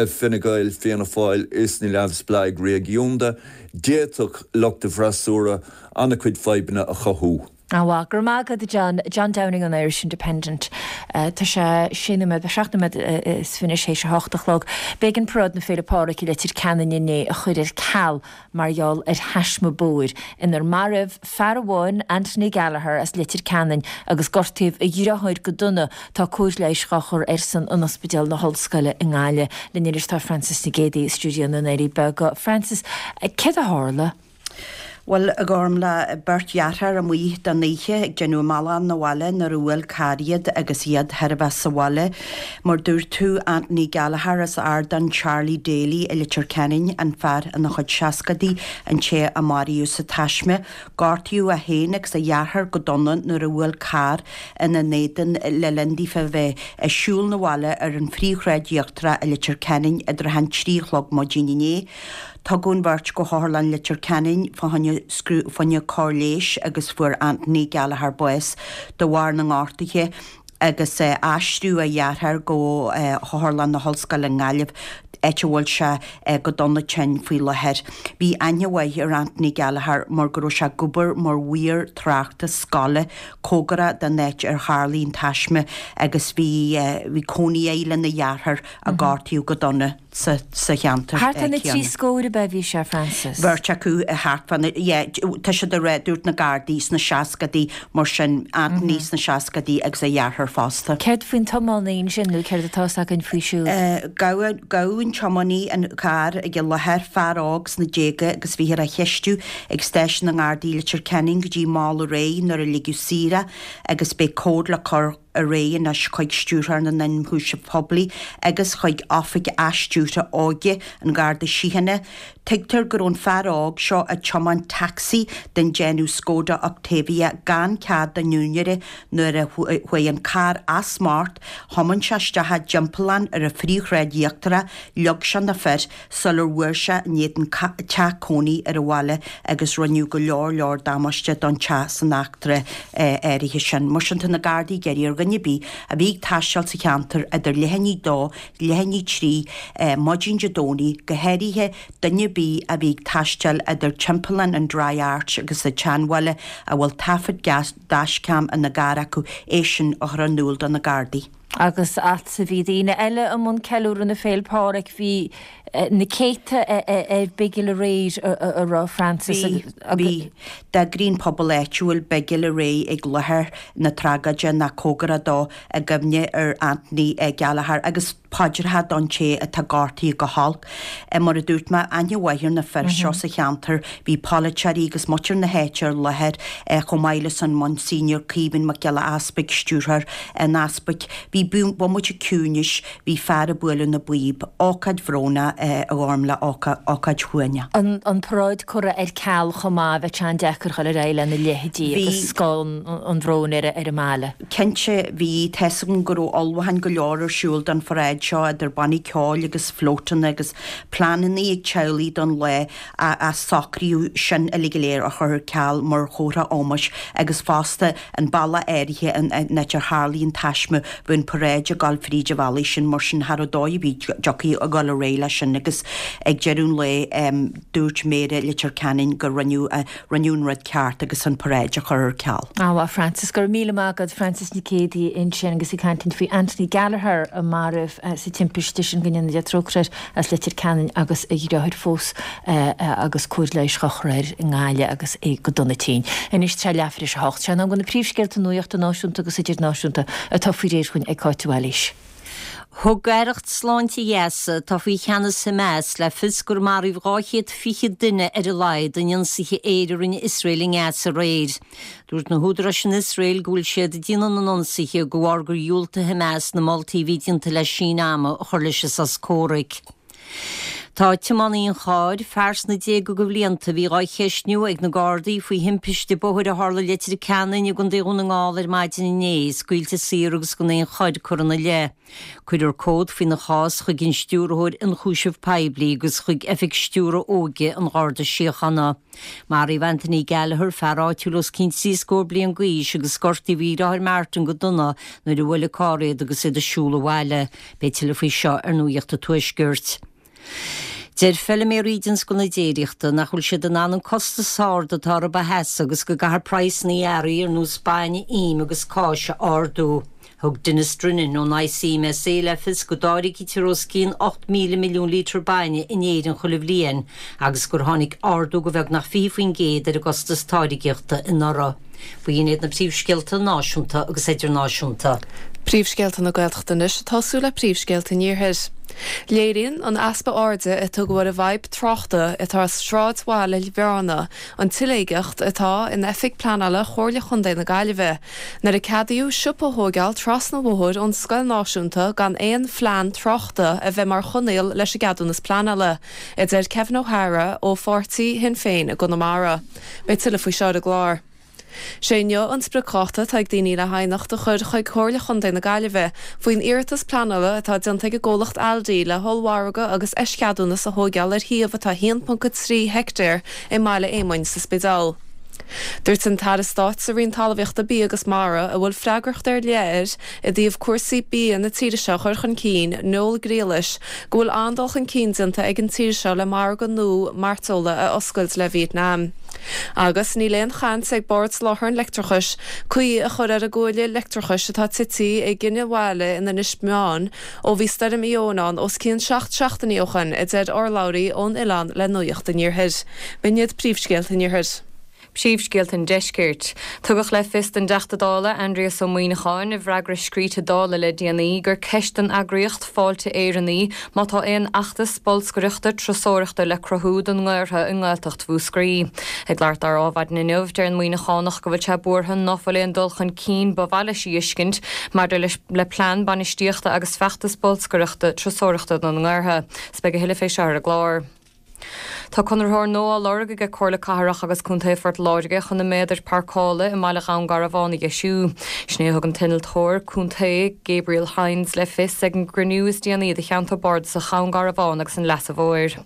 Fine Gael, Fianna Fáil is na Neamhspleáigh Réigiúnda. D'fhéadfadh lucht an freasúra an-chuid fadhbanna a chothú. An-mhaith. Go raibh maith agat, a John. John Downing ón Irish Independent. Tá sé sé nóiméad, 7 nóiméad is fiche théis a hocht a chlog. B'éigean Paráid na Féile Pádraig i Leitir Ceanainn inné a chur ar ceal mar gheall ar thaisme bóthair inar maraíodh fear amháin, Anthony Gallagher as Leitir Ceanainn, agus gortaíodh a dheartháir go dona. Tá cóir leighis dhá chur airsean in Ospidéal na hOllscoile i nGaillimh. Linn anois tá Frances Nic Géadaigh i stiúideo na nDoirí Beaga. Frances, céard a tharla? Bhuel, a Ghormfhlaith, beirt dheartháir amuigh don oíche ag déanamh a mbealach 'na bhaile nuair a bhuail carr iad agus iad chóir a bheith sa bhaile. Mar dúirt tú, Anthony Gallagher as Ardán Charlie Daly i Leitir Ceanainn, an fear ina chuid seascadaí, an té a maraíodh sa taisme. Gortaíodh é féin agus a dheartháir go dona nuair a bhuail carr ina n-éadan le linn daofa a bheith ag siúl 'na bhaile ar an Phríomhshráid Íochtarach i Leitir Ceanainn i dtrátha an 3 a chlog maidin inné. Tugadh an bheirt go hOtharlann Leitir Ceanainn fá choinne fá choinne cóir leighis agus fuair Anthony Gallagher bás de bharr na ngortuithe agus aistríodh a dheartháir go hOtharlann na hOllscoile i nGaillimh, áit a bhfuil sé go dona tinn faoi láthair. Bhí aithne mhaith ar Anthony Gallagher mar go raibh sé ag obair mar mhaor tráchta scoile cóngarach don áit ar tharlaigh an taisme agus bhí bhí cónaí air lena dheartháir a gortaíodh go dona. sa cheantar Thart ar na trí scór ab ea a bhí sé, Frances? Beirt acu thart fá na, yeah, tá siad ag rá, dúirt na Gardaí, sna seascadaí, mar sin, Anthony sna seascadaí agus a dheartháir fosta. Céard faoin tiománaí ansin, nó céard atá 'fhios againn faoi siúd? Gabhadh, gabhadh an tiománaí an carr ag an láthair, fear óg sna déaga agus bhíothar á cheistiú ag stáisiún na nGardaí i Leitir Ceanainn go dtí mall aréir nuair a ligeadh saor é agus beidh comhad le cur ar aghaidh anois chuig Stiúrthóir na nIonchúiseamh Poiblí agus chuig Oifig Athstiúrtha Óige an Gharda Síochána. Tuigtear go raibh an fear óg seo ag tiomáint tacsaí den déanamh Skoda Octavia gan cead den úinéara nuair a chuaigh an carr as smacht, thiomáin sé isteach i dtimpeallán ar an Phríomhshráid Íochtarach, leag sé na fir sular bhuail sé in éadan teach cónaí ar an bhaile agus rinneadh go leor leor damáiste don teach san eachtra áirithe sin. Mar sin tá na Gardaí ag iarraidh ar. dhuine ar bith a bhí ag taisteal sa cheantar idir leath i ndiaidh 2, leath i ndiaidh 3 maidin Dé Domhnaigh, go háirithe duine ar bith a bhí ag taisteal idir timpeallán an Dry Arch agus an tSeanbhaile a bhfuil taifead dashcam ina gcarr acu, é sin a chur in iúl do na Gardaí. Agus fhad is a bhí daoine eile i mbun ceiliúradh na Féil' Páraic, bhí na céadta ar bigil aréir, a raibh Francis Bhí, bhí. D'eagraigh an pobal áitiúil bigil aréir ag láthair na tragóide nó cóngarach dó i gcuimhne ar Anthony Gallagher agus paidreacha don té atá gortaithe go holc. Mar a dúirt mé, aithne mhaith ar na fir seo sa cheantar. Bhí polaiteoirí agus muintir na háite ar láthair, chomh maith leis an Monsignor Caoimhín Mac Giolla Easpaig, stiúrthóir an Easpaig. Bhí bomaite ciúnais, bhí fear ag bualadh na bpíob. Ócáid bhrónach, a Ghormlaith, ócáid shuaimhneach. An paráid curtha ar ceal chomh maith, bheadh sé an-deacair dhul ar aghaidh lena leithéidí agus scáth an bhróin ar an mbaile. Cinnte, bhí. Tá's agam go raibh ullmhúcháin go leor ar siúl don pharáid seo, idir bannaí ceoil agus flótanna agus pleananna ag teaghlaigh don lá ach socraíodh sin uilig go léir a chur ar ceal mar chomhartha ómóis agus fosta an bealach áirithe an áit ar tharlaigh an taisme, bhí an paráid ag dul fríd an bhealaigh sin mar sin cha raibh dóigh ar bith dtiocfaí a dhul ar aghaidh leis sin agus ag deireadh an lae dúirt Méara Leitir Ceanainn go rinneadh Rinneadh an rud ceart agus an paráid a chur ar ceal. Bhuel Frances, go raibh míle maith agat. Frances Nic Géadaigh ansin agus ag caint faoi Anthony Gallagher a maraíodh sa timpiste sin, go ndéana Dia trócaire air, as Leitir Ceanainn agus a dheartháir fós agus cóir leighis á chur air i nGaillimh agus é go dona tinn. Anois tá leathuair tar éis a hocht. Sé an am do na príomhscéalta nuachta náisiúnta agus idirnáisiúnta atá faoi réir chugainn ag Cáit de Bhailís. Thug Aireacht Sláinte Ghaza, atá faoi cheannas Hamas, le fios gur maraíodh 220 duine ar a laghad in ionsaithe aeir a rinne Iosrael i nGaza aréir. Dúirt na húdaráis in Iosrael go bhfuil siad ag déanamh na n-ionsaithe de bharr gur dhiúltaigh Hamas na moltaí a bhí déanta le síneadh ama a chur leis an sos comhraic. Tá tiománaí an chairr, fear sna déaga de bhlianta, a bhí dhá cheistniú ag na Gardaí faoi thimpiste bóthair a tharla i Leitir Ceanainn i gContae Dhún na nGall ar maidin inné, scaoilte saor agus gan aon choir curtha ina leith. Cuirfear comhad faoina chás chuig an Stiúrthóir Ionchúiseamh Poiblí agus chuig Oifig Stiúradh Óige an Gharda Síochána. Maraíodh Anthony Gallagher, fear áitiúil os cionn trí scór bliain d'aois agus gortaíodh a dheartháir Martin go dona nuair a bhuail an carr iad agus iad ag siúl abhaile. Beidh tuilleadh faoi seo ar Nuacht an Tuaiscirt. Deir feiliméaraí i dtionscal na déiríochta nach bhfuil siad in ann an costas ard atá orthu a sheasamh agus go gcaithfear praghsanna earraí ar nós bainne, im agus cáis a ardú. Thug Denis Drinnan ón ICMSA le fios go dtáirgítear os cionn 8,000 milliún lítear bainne in Éirinn chuile bhliain agus gur tháinig ardú de bheagnach 20% ar an gcostas táirgeachta anuraidh. B'in iad na príomhscéalta náisiúnta agus idirnáisiúnta. Príomhscéalta na Gaeltachta anois ag tosú le príomhscéalta an Iarthair. Léiríonn an easpa airde a tugadh ar an bhfadhb tráchta atá i sráidbhaile Bhearna an tsiléigeacht atá in Oifig Pleanála Chomhairle Chontae na Gaillimhe nuair a ceadaíodh siopa a thóigeáil trasna an bhóthair ón scoil náisiúnta gan aon phlean tráchta a bheith mar choinníoll leis an gceadúnas pleanála, a deir Kevin O'Hara ó pháirtí Shinn Féin i gConamara. Beidh tuilleadh faoi seo ar an gclár. Sé inniu an spriocdháta atá ag daoine le haighneacht a chur chuig Comhairle Chontae na Gaillimhe faoin iarratas pleanála atá déanta ag an gcomhlacht Aldi le hollmhargadh agus eischeadúnas a thóigeáil ar shuíomh atá 1.3 heictéar i mBaile Éamoinn sa Spidéal. Dúirt an tAire Stáit sa Roinn Talmhaíochta, Bia agus Mara, a bhfuil freagracht ar leith air i dtaobh cúrsaí bia na tíre seo a chur chun cinn, Noel Grealish, go bhfuil an-dul chun cinn déanta ag an tír seo le margadh nua mairteola a oscailt le Vietnam. Agus níl aon chaint ag Bord Soláthair an Leictreachais caoi a chur ar an gcuaille leictreachais atá tite i gCinneadh Bhaile in Inis Meáin ó bhí Stoirm Éowyn ann os cionn 7 seachtainí ó shoin, a deir urlabhraí ón oileán le Nuacht an Iarthair. B'in iad príomhscéalta an Iarthair. Príomhscéalta an Deiscirt. Tugadh le fios don dTeachta Dála, Aindrias Ó Muimhneacháin, i bhfreagra scríte Dála le déanaí, gur ceist don eagraíocht Fáilte Éireann í má tá aon fheachtas bolscaireachta turasóireachta le cruthú don nGaorthadh i nGaeltacht Mhúscraí. Ag labhairt dó ar Adhmhaidin inniu, deir an Muimhneachánach go bhfuil sé buartha ná fuil aon dul chun cinn ba mhaith leis a fheiscint maidir leis le plean bainistíochta agus feachtas bolscaireachta turasóireachta don nGaorthadh. 'S beidh a thuilleadh fé seo ar an gclár. Tá conraitheoir nua á lorg aige Comhairle Cathrach agus Contae Phort Láirge chun na méadair páirceála i mbaile Dhún Garbhán a dheisiú. Sin é a thug an t-innealtóir contae Gabriel Hynes le fios ag an gcruinniú is déanaí de Cheantar Bardasach Dhún Garbhán agus an Leasa Mhóir.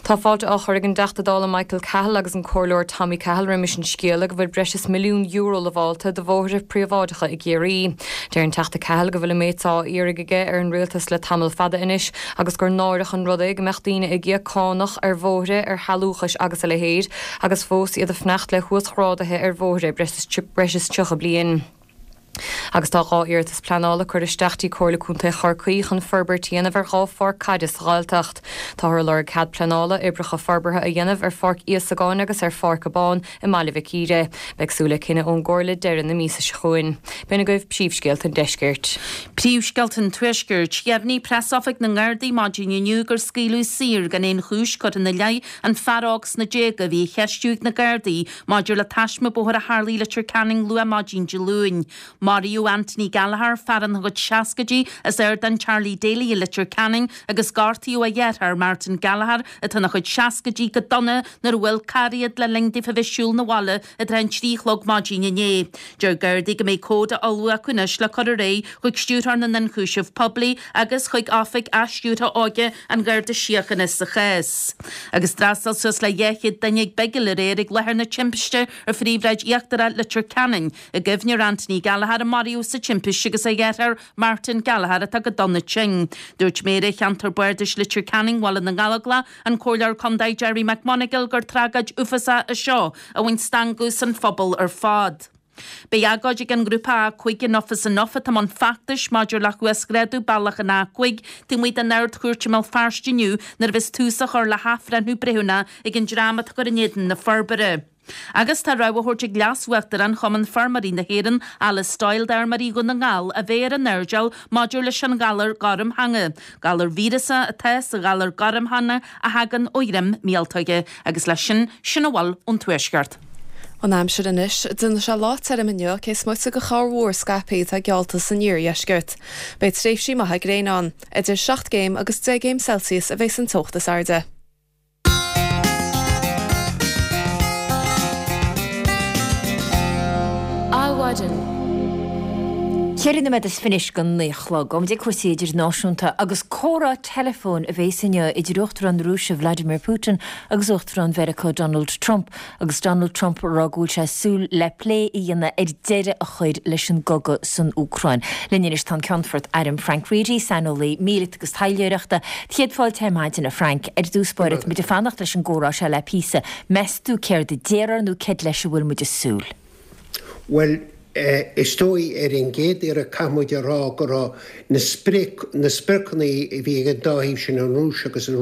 Tá fáilte á chur ag an dTeachta Dála Michael Cahill agus an Comhairleoir Tommy Cahill roimis an scéala go bhfuil breis is €1 milliún lamhálta do bhóithre príobháideacha i gCiarraí. Deir an Teachta Cahill go bhfuil an méid seo á iarraidh aige ar an Rialtas le tamall fada anois agus gur náireach an rud é go mbeadh daoine ag íoc cánach ar bhóithre, ar shealúchais agus a leithéid agus fós iad ag fanacht le huasghráduithe ar bhóithre breis is 30 bliain. Agus tá 2 iarratas pleanála curtha isteach dtí Comhairle Contae Chorcaí chun forbairt a dhéanamh ar 2 pháirc caide sa Ghaeltacht. Táthar ag lorg cead pleanála oibreacha forbartha a dhéanamh ar Pháirc Íosagáin agus ar Pháirc Abán i mBaile Mhic Íre. Beidh súil le cinneadh ón gComhairle deireadh na míosa seo chugainn. B'in agaibh príomhscéalta an deiscirt. Príomhscéalta an Tuaiscirt. Dheimhnigh Preasoifig na nGardaí maidin inniu gur scaoileadh saor gan aon chúis curtha ina leith an fear óg sna déaga a bhí á cheistiú ag na Gardaí maidir le taisme bóthair a tharla i Leitir Ceanainn luath maidin Dé Luain. Maraíodh Anthony Gallagher, fear ina chuid seascaidí as Ardán Charlie Daly i Leitir Ceanainn agus gortaíodh a dheartháir Martin Gallagher, atá ina chuid seascaidí, go dona nuair a bhuail carr iad le linn daofa bheith ag siúl 'na bhaile i dtrátha an 3 a chlog maidin inné. Deir Gardaí go mbeidh comhad á ullmhú acu anois le cur ar aghaidh chuig Stiúrthóir na nIonchúiseamh Poiblí agus chuig Oifig Athstiúrtha Óige an Gharda Síochána sa chás. Agus d'fhreastail suas le 200 duine ag bigil aréir ag láthair na timpiste ar Phríomhshráid Íochtarach Leitir Ceanainn i gcuimhne ar Anthony Gallagher a maraíodh sa timpiste agus a dheartháir Martin Gallagher atá go dona tinn. Dúirt Méara Cheantar Bardais Leitir Ceanainn Bhaile na nGallóglach, an Comhairleoir Contae Gerry McMonagall gur tragóid uafásach í seo a bhain stangadh as an phobal ar fad. Beidh agóid ag an ngrúpa A5 Enough is Enough atá i mbun feachtais maidir le huasghrádú bealach an A5 taobh amuigh den Ard-Chúirt i mBéal Feirste inniu nuair a bheas tús á chur le hathbhreithniú breithiúnach ag an dream atá ag cur in éadan na forbartha. Agus tá rabhadh á thabhairt ag Leas-Uachtarán Chumann Feirmeoirí na hÉireann, Alice Doyle d'fheirmeoirí Dhún na nGall a bheith ar a n-airdeall maidir leis an ghalar gormtheanga. Galar víreasach atá sa ghalar gormtheanga a thagann ó dhroim míoltóige. Agus leis sin, sin a bhfuil ón Tuaisceart. An aimsir anois. Déanfaidh sé lá tirim inniu, cé is moite de chorrmhúr scaipthe atá geallta san iardheisceart. Beidh tréimhsí maithe gréine ann. Idir 7 gcéim agus 10 gcéim Celsius a bheas an teocht is airde. Adhmhaidin. Ceithre nóiméad is fiche don naoi a chlog. Gabhfaidh muid ag cúrsaí idirnáisiúnta agus comhrá teileafóin a bhéas inniu idir Uachtarán na Rúise Vladimir Putin agus Uachtarán Mheiriceá Donald Trump agus Donald Trump ag rá go bhfuil sé ag súil le plé a dhéanamh ar deireadh a chur leis an gcogadh san Úcráin. Linn anois tá an Ceannfort Airm Frank Reidy, saineolaí míleata agus taidhleoireachta. Céad fáilte ar maidin, a Frank. Ar dtús báire, tá muid ag fanacht leis an gcomhrá seo le píosa. Meas tú céard a déarfar nó céard leis a bhfuil muid ag súil? Bhuel, is dóigh ar an gcéad iarraidh caithfidh muid a rá go raibh na sprioc, na spriocanna a bhí ag an dá thaobh sin, an Rúis agus an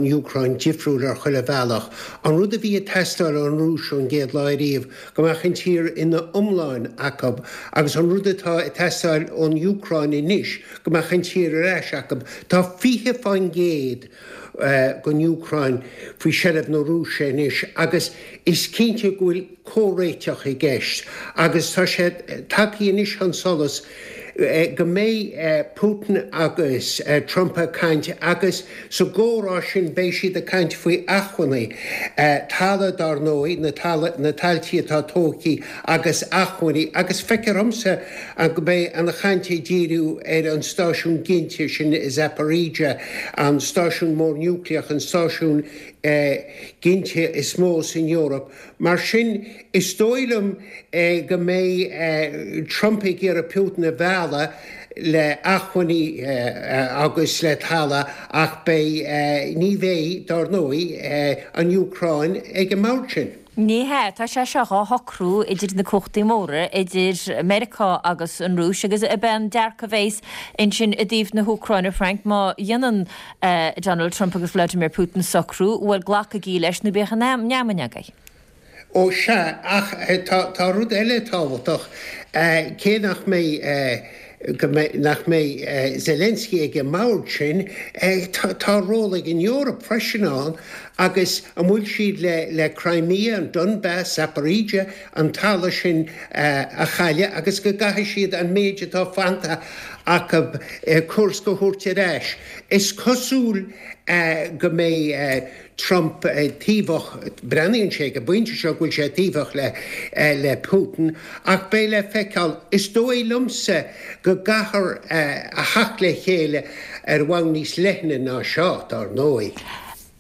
Úcráin, difriúil ar chuile bhealach. An rud a bhí ag teastáil ón Rúis ón gcéad lá ariamh, go mbeadh an tír ina iomláin acu agus an rud atá ag teastáil ón Úcráin anois, go mbeadh an tír ar ais acu. Tá 20% den Úcráin faoi sheilbh na Rúise anois agus is cinnte go bhfuil comhréiteach i gceist agus tá sé tagtha anois chun solais go mbeidh Putin agus Trump ag caint agus sa gcomhrá sin beidh siad ag caint faoi acmhainní, talamh dár ndóigh, na tailtí atá tógtha agus acmhainní agus feictear dhomsa go mbeidh an chaint ag díriú ar an stáisiún ginte sin i Zaporizhzhia, an stáisiún mór núicléach, an stáisiún ginte is mó san Eoraip. Mar sin, is dóigh liom go mbeidh Trump ag iarraidh Putin a mhealladh le acmhainní agus le talamh ach beidh, ní bheidh, dár ndóigh, an Úcráin ag an mbord sin. Ní hea, tá sé seo dhá shocrú idir na cumhachtaí móra, idir Meiriceá agus an Rúis, agus ab é an dearcadh a bheas ansin i dtaobh na hÚcráine, Frank, má dhéanann Donald Trump agus Vladimir Putin socrú, bhuel, glacaigí leis nó bíodh an fheamainn agaibh. Ó sea, ach tá rud eile tábhachtach, cé nach mbeidh, go mbeidh, nach mbeidh Zelensky ag an mbord sin, tá ról ag an Eoraip freisin ann agus an bhfuil siad le le Crimea, an Donbas, Zaporizhzhia, an talamh sin a chailleadh agus go gcaithfidh siad an méid atá fanta acu Kursk a thabhairt ar ais. Is cosúil go mbeidh Trump taobhach, breathnaíonn sé ag an bpointe seo go bhfuil sé taobhach le Putin, ach beidh le feiceáil. Is dóigh liomsa go gcaithfear a theacht le chéile ar bhonn níos leithne ná seo, dár ndóigh.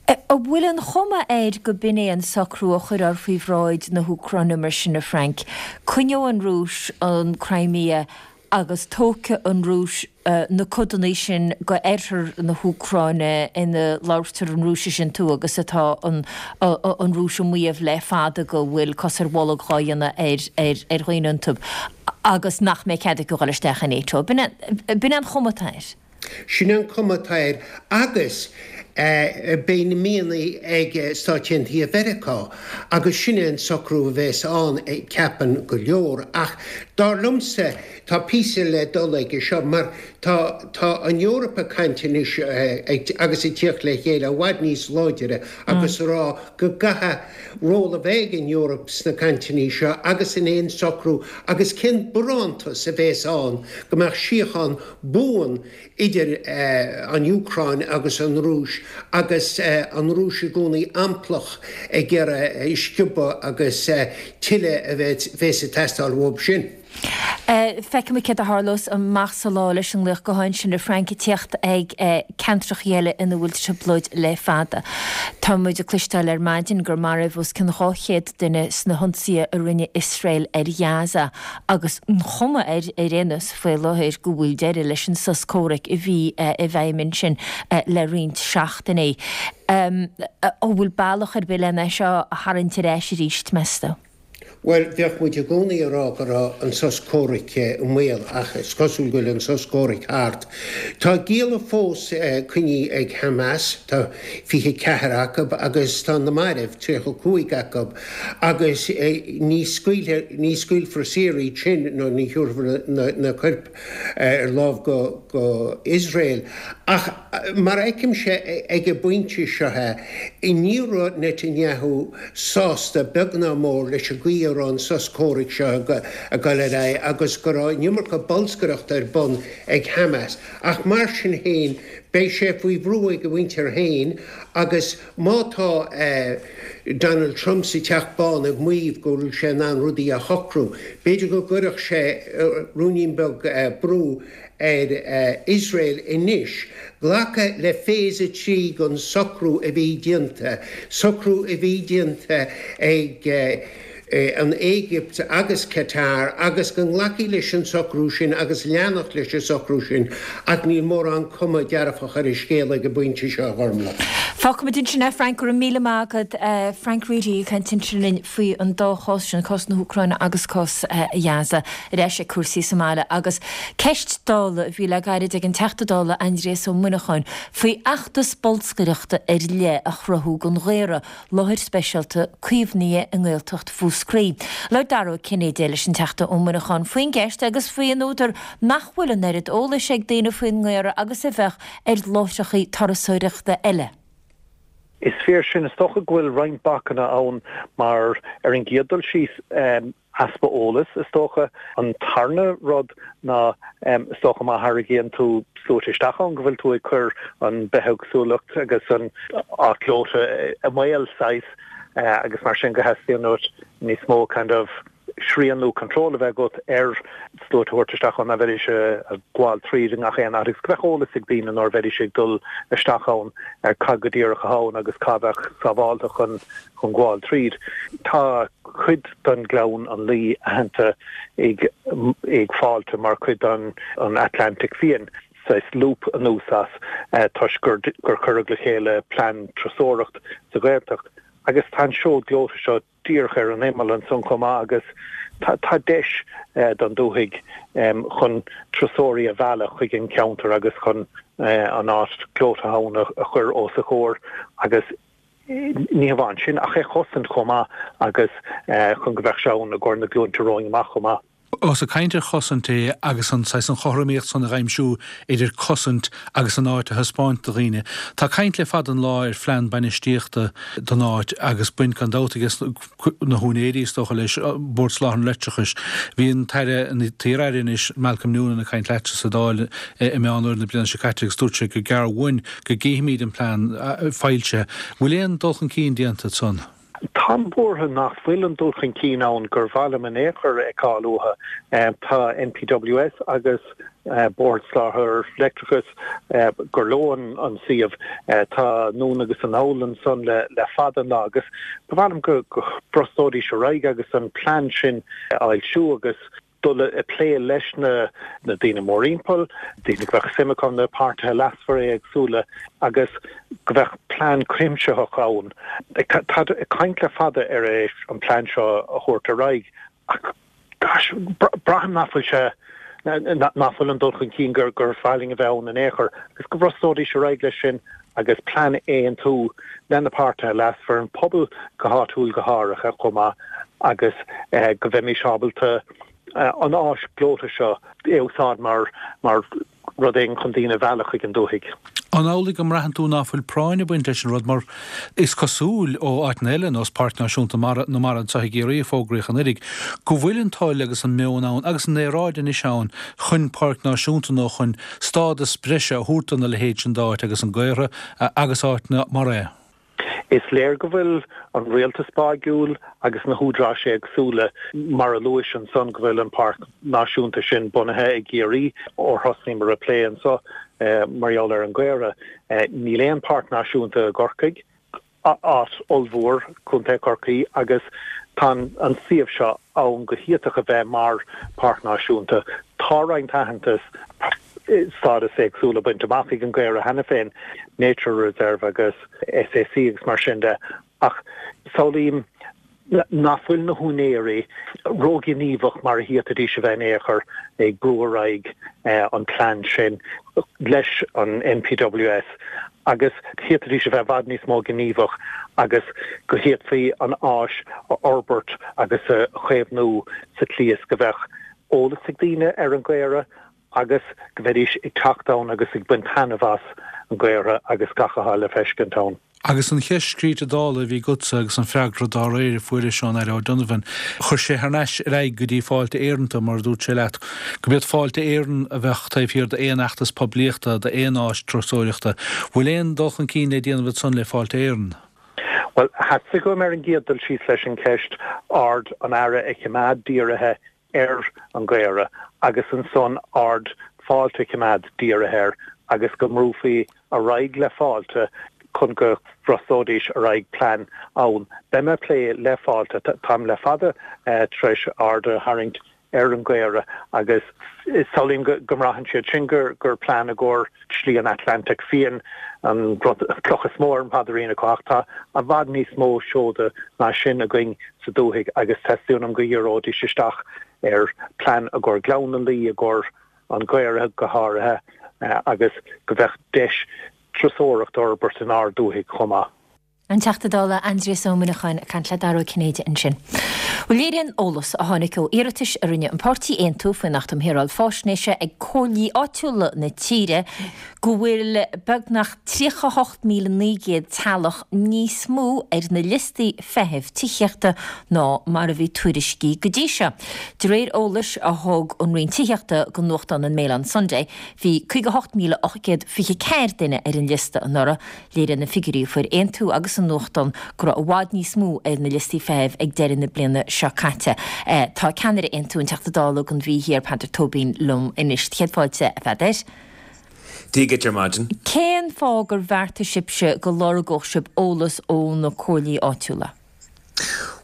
An bhfuil an chuma air go b'in é an socrú a chuirfear faoi bhráid na hÚcráine mar sin, a Frank? Coinneoidh an Rúis an Crimea agus tógfaidh an Rúis na codanna sin go oirthear na hÚcráine ina labhartar an Rúisis iontu agus atá an Rúis ag maíomh le fada go bhfuil cos ar bholg dhá dhéanamh ar dhaoine iontu agus nach mbeidh cead acu dhul isteach i NATO. B'in é an chuma atá air. Sin an chuma atá air agus beidh na mianaigh ag Stáit Aontaithe Mheiriceá agus sin é an socrú a bheas ann, ceapann go leor. Ach dar liomsa, tá píosa le dul aige seo mar tá tá an Eoraip ag caint anois agus ag tíocht le chéile i bhfad níos láidire agus a rá go gcaithfidh ról a bheith ag an Eoraip sna cainteanna seo agus in aon socrú agus cén barántas a bheas ann go mbeadh síocháin buan idir an Úcráin agus an Rúis agus an Rúis i gcónaí amplach ag iarraidh sciobadh agus tuilleadh a bheas ag teastáil uathu sin. Feicfimid céard a tharlós amach sa lá leis an nglaoch gutháin sin a Frank ag tíocht ag ceantracha eile ina bhfuil trioblóid le fada. Tá muid ag cloisteáil ar maidin gur maraíodh os cionn 200 duine sna hionsaithe a rinne Iosrael ar Ghaza agus an chuma air ar aon nós faoi láthair go bhfuil deireadh leis an sos comhraic a bhí i bhfeidhm ansin le roinnt seachtainí. An bhfuil bealach ar bith lena seo a tharraingt ar ais arís, meas tú? Bhuel, bheadh muid i gcónaí ag rá go raibh an sos comhraic i mbaol ach is cosúil go bhfuil an sos comhraic thart. Tá gialla fós coinnithe ag Hamas, tá 24 acu agus tá na mairbh, 35 acu, agus ní scaoilfear, ní scaoilfear saor iad sin nó ní thabharfar na coirp ar láimh go Iosrael. Ach mar a fheicimse ag an bpointe seo é, ní raibh Netanyahu sásta beag ná mór leis an gcaoi a raibh an sos comhraic seo ag dul ar aghaidh agus go raibh an iomarca bolscaireachta ar bun ag Hamas. Ach mar sin féin, beidh sé faoi bhrú ag a mhuintir féin agus Má tá Donald Trump sa Teach Bán ag maíomh go bhfuil sé in ann rudaí a shocrú, b'fhéidir go gcuirfeadh sé ruainnín beag brú ar Iosrael anois glacadh le Phase 3 den socrú a bhí déanta, socrú a bhí déanta ag an Éigipt agus Qatar agus go nglacfaí leis an socrú sin agus leanacht leis an socrú sin ach níl mórán cuma dearfach ar an scéal ag an bpointe seo, a Ghormlaith. Fágfaimid ansin é, Frank, go raibh míle maith agat. Frank Reidy ag caint ansin linn faoi an dá chás sin, cás na hÚcráine agus cás Ghaza. Ar ais ag cúrsaí sa mbaile agus ceist Dála a bhí le gairid ag an Teachta Dála Aindrias Ó Muineacháin faoi fheachtas bolscaireachta ar leith a chruthú don Ghaora. láthair speisialta caomhnaithe i nGaeltacht Mhúscraí. Labhair Dara Ó Cinnéide leis an Teachta Ó Muineacháin faoin gceist agus faoi an údar nach bhfuil an oiread eolais ag daoine faoin nGaora agus a bheadh ar láithreacha turasóireachta eile. Is fíor sin. Is dócha go bhfuil roinnt bacanna ann mar, ar an gcéad dul síos, easpa eolais, is dócha. An tarna rud ná, is dócha, má tharraingíonn tú sluaite isteach ann, go bhfuil tú ag cur an bithéagsúlacht agus an áit ghleoite i mbaol, saghas, agus mar sin go theastaíonn uait níos mó kind of srian nó control a bheith agat ar sluaite a thabhairt isteach ann, ná bheidís ag gabháil tríd i ngach aon áit agus go mbeadh eolas ag daoine nuair a bheidís ag dul isteach ann ar cad go díreach atá ann agus cá bheadh sábhálta chun chun gabháil tríd. Tá cuid den Ghleann an Laoi aitheanta ag ag Fáilte mar chuid den an Atlantic Fiáin, saghas loop anuas as, toisc gur gur cuireadh le chéile plean turasóireacht sa Ghaeltacht agus tá an seod gleoite seo díreach ar an imeall ansan chomh maith agus tá tá deis don dúthaigh chun turasóirí a mhealladh chuig an cheantar agus chun an áit gleoite ann a chur os a chomhair agus Ní hamháin sin, ach é a chosaint chomh maith agus chun go mbeadh sé ann i gcomhair na glúinte romhainn amach chomh maith. Ós ag caint ar chosaint é agus an saghas an chothromaíocht san a dh'aimsiú idir cosaint agus an áit a thaispeáint do dhaoine. Tá caint le fada an lá ar phlean bainistíochta don áit agus baint gan dabht aige na húinéirí is dócha leis, Bord Soláthair an Leictreachais. Bhí an tAire, an t-iar-aire anois, Malcolm Noonan ag caint leatsa sa Dáil i Meán Fhómhair na bliana seo caite agus dúirt sé go gearr uainn go gcífimid an plean foilsithe. Bhfuil aon dul chun cinn déanta ansan? Táim buartha nach bhfuil an dul chun cinn ann gur mhaith liom in aon chor a fheiceáil uathu. Tá NPWS agus. Bord Soláthair Leictreachais, gur leo an suíomh. Tá anonn agus anall ansan le fada an lá agus ba mhaith liom go mbrostóidís ar aghaidh agus an plean sin a fhoilsiú agus dul ag plé leis na daoine mórthimpeall, daoine go mbeadh suim acu, na páirtithe leasmhara éagsúla agus go mbeadh plean cuimsitheach ann. Táid ag caint le fada ar an plean seo a thabhairt ar aghaidh ach gosh, braithim nach bhfuil sé, nach bhfuil an dul chun cinn gur mhaith linn a bheith ann in aon chor agus go mbrostóidís ar aghaidh leis sin agus plean a aontú le na páirtithe leasmhara, an pobal go háitiúil go háirithe chomh maith agus go bheimis ábalta an áis ghleoite seo a úsáid mar mar rud éigin chun daoine a mhealladh chuig an dúthaigh. An amhlaidh go mbraitheann tú ná fuil práinn ag baint leis an rud mar is cosúil ó áiteanna eile, nós Páirc Náisiúnta Mara na Mara anseo i gCiarraí a fógraíodh anuiridh, go bhfuil an toil agus an meon ann agus an aeráid anois ann chun páirc náisiúnta nó chun stádas breise a thabhairt dona leithéid sin d'áit agus an Gaorthadh agus áiteanna mar é. Is léir go bhfuil an rialtas báigiúil agus na húdaráis éagsúla, mar a luais ansan, go bhfuil an páirc náisiúnta sin bunaithe i gCiarraí ó thosnaíomar ag plé anso mar gheall ar an Gaorthadh. Níl aon pháirc náisiúnta i gCorcaigh. áit ollmhór, Contae Chorcaí, agus tá an suíomh seo ann go hiotach a bheith mar Pháirc Náisiúnta. Tá roinnt aitheantas, stádas éagsúla bainte amach ag an gCaora cheana féin, Nature Reserve agus SAC agus mar sin de, ach samhlaím nach bhfuil na húinéirí róghníomhach mar a d'fhéadfaidís a bheith in aon chor ag brú ar aghaidh an plean sin leis an NPWS agus d'fhéadfaidís a bheith i bhfad níos mó gníomhach agus go bhféadfaí an áis a fhorbairt agus a chaomhnú sa tslí is go bheadh eolas ag daoine ar an gcaora agus go mbeidís ag teacht ann agus ag baint taitneamh as an gCaora agus gach atá le feiscint ann. Agus an cheist scríte Dála a bhí agatsa agus an freagra dá réir a fuairis ón Aire O'Donovan, chuir sé thar n-ais ar aghaidh go dtí Fáilte Éireann tú, mar a dúirt sé leat, go mb'iad Fáilte Éireann a bheadh taobh thiar d'aon fheachtas poiblíochta, d'aon áis turasóireachta. Bhfuil aon dul chun cinn le déanamh ansan le Fáilte Éireann? Bhuel, theastaigh uaim ar an gcéad dul síos leis an cheist aird an Aire a choimeád dírithe ar an gCaora agus ansan aird Fáilte a choimeád dírithe air agus go mbrúfaí ar aghaidh le Fáilte chun go bhrostóidís ar aghaidh plean ann. Beidh mé ag plé le Fáilte. Táim le fada tar éis aird a tharraingt ar an gCaora agus samhlaím go mbraitheann siad sin gur plean i gcomhair Slí an Atlantaigh Fiáin an rud, an cloch is mó ar an bpaidirín acu ach tá i bhfad níos mó seoda ná sin againn sa dúthaigh agus teastaíonn uaim go dhíreoidís isteach ar plean i gcomhair Ghleann na Laoi, i gcomhair an Ghaorthaidh go háirithe agus go bheadh deis turasóireacht a fhorbairt inár dúthaigh chomh maith. An Teachta Dála Aindrias Ó Muineacháin ag caint le Dara Ó Cinnéide ansin. Bhuel, léiríonn eolas a tháinig ó iarratais a rinne an páirtí Aontú faoin Acht um Shaoráil Faisnéise ag comhairlí áitiúla na tíre go bhfuil beagnach 38,900 teaghlach níos mó ar na liostaí feithimh tithíochta ná mar a bhí tuairiscithe go dtí seo. De réir eolais a thug an Roinn Tithíochta go nuachtán an Mail on Sunday, bhí 58,824 duine ar an liosta anuraidh, Léiríonn na figiúirí a fuair Aontú agus an nuachtán go raibh i bhfad níos mó ar na liostaí feithimh ag deireadh na bliana seo caite. Tá ceannaire Aontú, an Teachta Dála don Mhí Thiar, Peadar Tóibín liom anois. Céad fáilte, a Pheadair. Dia dhuit ar maidin. Cén fáth gur bheartaigh sibhse go lorgódh sibh eolas ó na comhairlí áitiúla?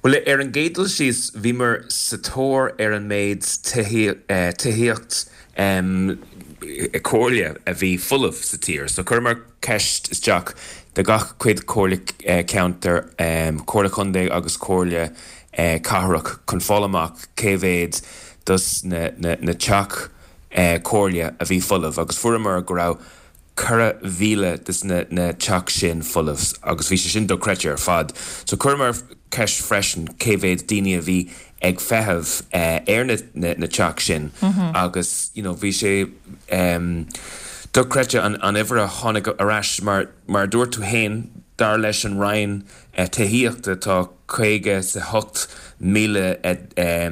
Bhuel, ar an gcéad dul síos, bhíomar sa tóir ar an méid tithíocht comhairle a bhí folamh sa tír. So chuireamar ceist isteach do gach cuid comhairle ceantair, comhairle contae agus comhairle cathrach chun fáil amach cé mhéad dos na teach comhairle a bhí folamh agus fuaireamar go raibh 4,000 des na teach sin folamh agus bhí sé sin dochreidte ar fad. So chuireamar ceist freisin cé mhéad daoine a bhí ag feitheamh ar na teach sin agus you know bhí sé dochreidte an uimhir a tháinig ar ais mar mar a dúirt tú fhéin dar leis an Roinn Tithíochta tá 58,000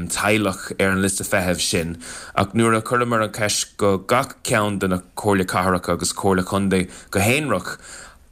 teaghlach ar an liosta feithimh sin ach nuair a chuireamar an cheist go gach ceann de na Comhairle Cathrach agus Comhairle Contae go haonrach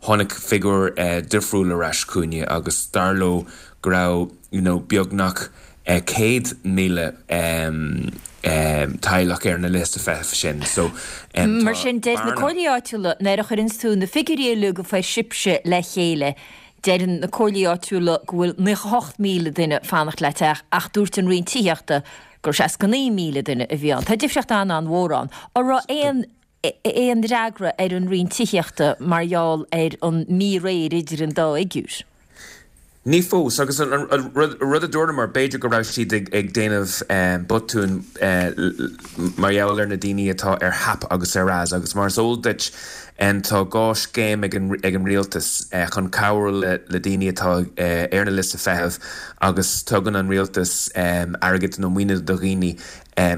tháinig figiúr difriúil ar ais chugainne agus dar leo go raibh you know beagnach 100,000. teaghlach ar na liosta feithimh sin. So tá Mar sin, deir na comhairlí áitiúla, nuair a chuireanns tú na figiúirí uilig a fuair sibhse le chéile, deireann na comhairlí áitiúla go bhfuil 98,000 duine fanacht le teach ach dúirt an Roinn Tithíochta gur 69,000 duine a bhí ann. Tá difríocht an-an-mhór ann. An raibh aon aon fhreagra ar an Roinn Tithíochta mar gheall ar an míréir idir an dá fhigiúr? Ní fós, agus an rud a dúramar, b'fhéidir go raibh siad ag déanamh botúin mar gheall ar na daoine atá ar HAP agus ar RAS, agus mar is eol duit tá dhá scéim ag an rialtas chun cabhrú le daoine atá ar na liosta feithimh agus tugann an rialtas airgead nó maoiniú do dhaoine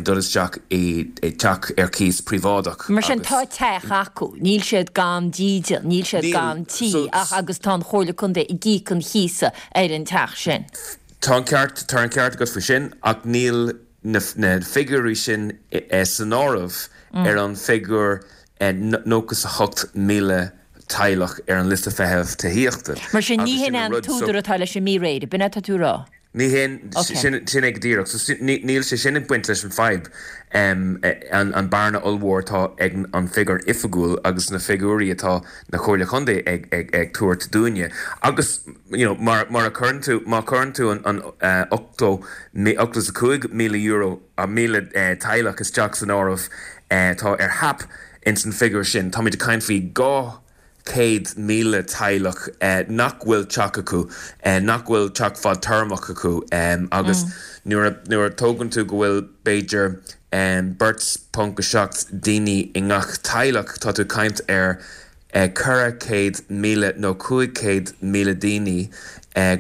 dul isteach i dteach ar cíos príobháideach Mar sin, tá teach acu, níl siad gan dídean, níl siad gan tí ach agus tá an Chomhairle Contae ag íoc an chíosa ar an teach sin. Tá an ceart, tá an ceart agat faoi sin ach níl na figiúirí sin san áireamh ar an bhfigiúr 98,000 teaghlach ar an liosta feithimh tithíochta. Mar sin, ní hin é an t-údar atá leis an míréir, b'in é atá tú a rá? Ní hin, sin é go díreach. So níl sé sin ag baint leis an fadhb, an bearna ollmhór atá ag an figiúr oifigiúil agus na figiúirí atá na Comhairle Chontae ag tabhairt dúinne. Agus you know mar mar a chuireann tú, má chuireann tú an 80, €85,000, 1,000 teaghlach isteach san áireamh atá ar HAP ins an figiúr sin, táimid ag caint faoi 200,000 teaghlach nach bhfuil teach acu, nach bhfuil teach fadtéarmach acu agus nuair a, nuair a tógann tú go bhfuil b'fhéidir beirt ponc 7 daoine i ngach teaghlach, tá tú ag caint ar 400,000 nó 500,000 daoine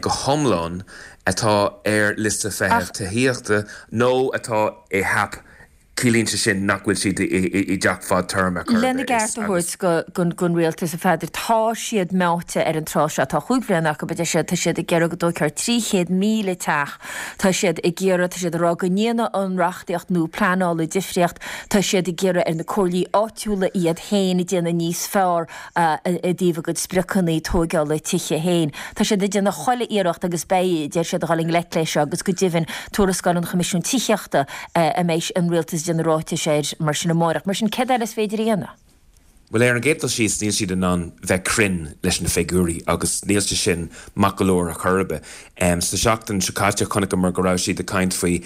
go hiomlán atá ar liosta feithimh tithíochta nó atá i HAP Ciallaíonn sé sin nach bhfuil siad i dteach fadtéarma chor ar Lena bith. gceart a thabhairt don rialtas, a Pheadair, tá siad meáite ar an tráth seo. Tá chúig bhliana acu, a deir siad, tá siad ag iarraidh go dtógfar 300,000 teach. Tá siad ag iarraidh, tá siad ag rá go ndéanfaidh an reachtaíocht nua pleanála difríocht. Tá siad ag iarraidh ar na comhairlí áitiúla iad féin a déanamh níos fearr. i dtaobh a gcuid spriocanna tóigeála tithe féin. Tá siad ag déanamh chuile iarracht agus beidh, deir siad, a dhul i ngleic leis seo agus go deimhin tuarascáil an Choimisiúin Tithíochta a mbeidh an Rialtas ag déanamh ráitis air mar sin amáireach. Mar sin, céard eile is féidir a dhéanamh? Bhuel, ar an gcéad dul síos, níl siad in ann bheith cruinn leis na figiúirí agus níl sé sin maith go leor ar chor ar bith. Sa seachtain seo caite, chonaiceamar go raibh siad ag caint faoi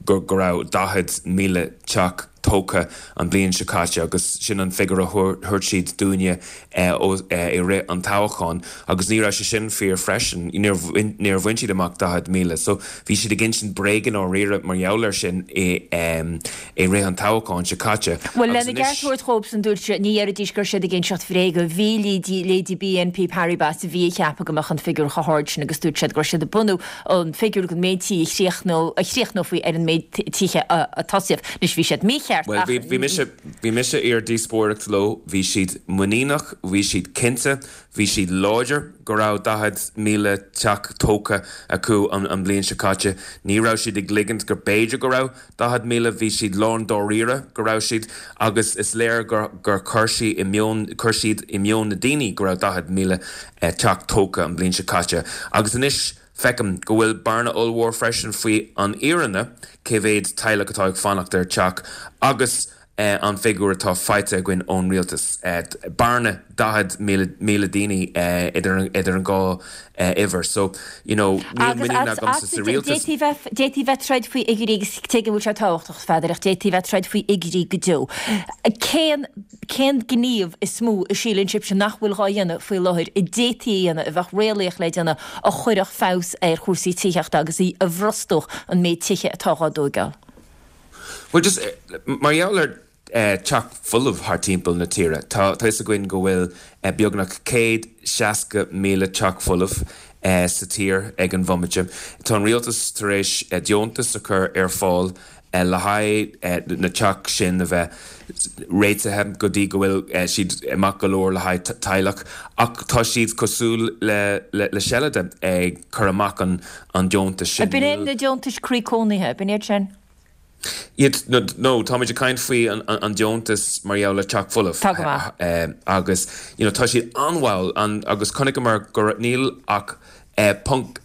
go raibh 40,000 teach tógtha an bhliain seo caite agus sin an figiúr a thabhairt siad dúinne i rith an toghcháin agus ní raibh sé sin fíor freisin, níor bhain siad amach 40,000. So bhí siad ag insint bréag i ndáiríre mar gheall air sin i rith an toghcháin seo caite. Bhuel, lena gceart a thabhairt dhóibhsan, dúirt siad, ní dhéarfaidís go raibh siad ag inseacht bhréige. Bhí leithéidí BNP Paribas a bhí ag ceapadh go mbeadh an figiúr chomh hard sin agus dúirt siad go raibh siad ag bunú an figiúr den méid tí a chríochnófaí ar an méid tithe a tosaíodh. Anois, bhí siad mícheart ach. Bhuel, bhí mise, bhí mise ar díospóireacht leo, bhí siad muiníneach, bhí siad cinnte, bhí siad láidir go raibh 40,000 teach tógtha acu an bhliain seo caite. Ní raibh siad ag ligint gur b'fhéidir go raibh 40,000, bhí siad lán dáiríre go raibh siad agus is léir gur gur chuir sí i meon, chuir siad i meon na daoine go raibh 40,000 teach tógtha an bhliain seo caite. Agus anois feicim go bhfuil bearna ollmhór freisin faoi an fhírinne, cé mhéad teaghlach atá ag fanacht ar teach agus an figiúr atá faighte againn ón rialtas. Bearna 40,000 daoine idir an dhá uimhir. So, you know, níl muinín agamsa sa rialtas. D'fhéadfaí bheith ag troid faoi fhigiúirí agus tuigim go bhfuil sé tábhachtach, a Pheadair, ach d'fhéadfaí bheith ag troid faoi fhigiúirí go deo. Cén, cén gníomh is mó a síleann sibhse nach bhfuil dhá dhéanamh faoi láthair, a d'fhéadfaí a dhéanamh, a bheadh réalaíoch le déanamh, a chuirfeadh feabhas ar chúrsaí tithíochta agus a bhrostódh an méid tithe atá dhá dtóigeáil? Bhuel, just, mar gheall ar teach folamh thar timpeall na tíre, tá fhios againn go bhfuil beagnach 160,000 teach folamh sa tír ag an bhomaite. Tá an rialtas tar éis deontas a chur ar fáil le haghaidh na teach sin a bheith réitithe go dtí go bhfuil siad maith go leor le haghaidh teaghlach ach tá siad cosúil le seilide ag cur amach an deontais sin. B'in é na deontais croí cónaithe, b'in iad sin? Iad, no, táimid ag caint faoi an deontas mar gheall le teach folamh. Tá go maith. Agus, you know, tá siad an-mhall agus chonaiceamar go raibh, níl ach ponc,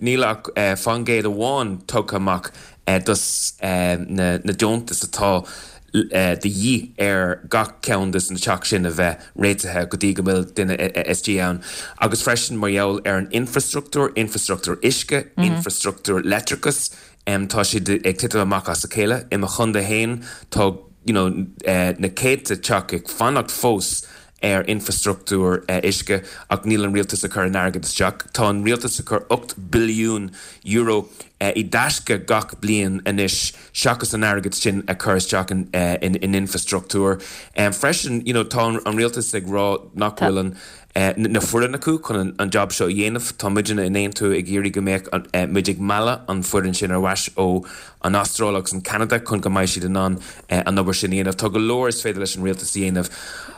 níl ach faoin gcéad amháin tugtha amach. dos na deontais atá de dhíth ar gach ceann des na teach sin a bheith réitithe go dtí go bhfuil duine istigh ann. Agus freisin mar gheall ar an infrastruchtúr, infrastruchtúr uisce, infrastruchtúr leictreachais, tá siad ag titim amach as a chéile. I mo chontae féin tá you know na céadta teach ag fanacht fós ar infrastruchtúr uisce ach níl an rialtas ag cur an airgead isteach. Tá an rialtas ag cur €8 billiún i dtaisce gach bliain anois seachas an airgead sin a chur isteach in infrastruchtúr. Freisin, you know, tá an rialtas ag rá nach bhfuil an na foireann acu chun an job seo a dhéanamh. Tá muidne in Aontú ag iarraidh go mbeadh muid ag mealladh an foireann sin ar ais ó an Astráil agus an Ceanada chun go mbeidh siad in ann an obair sin a dhéanamh. Tá go leor is féidir leis an rialtas a dhéanamh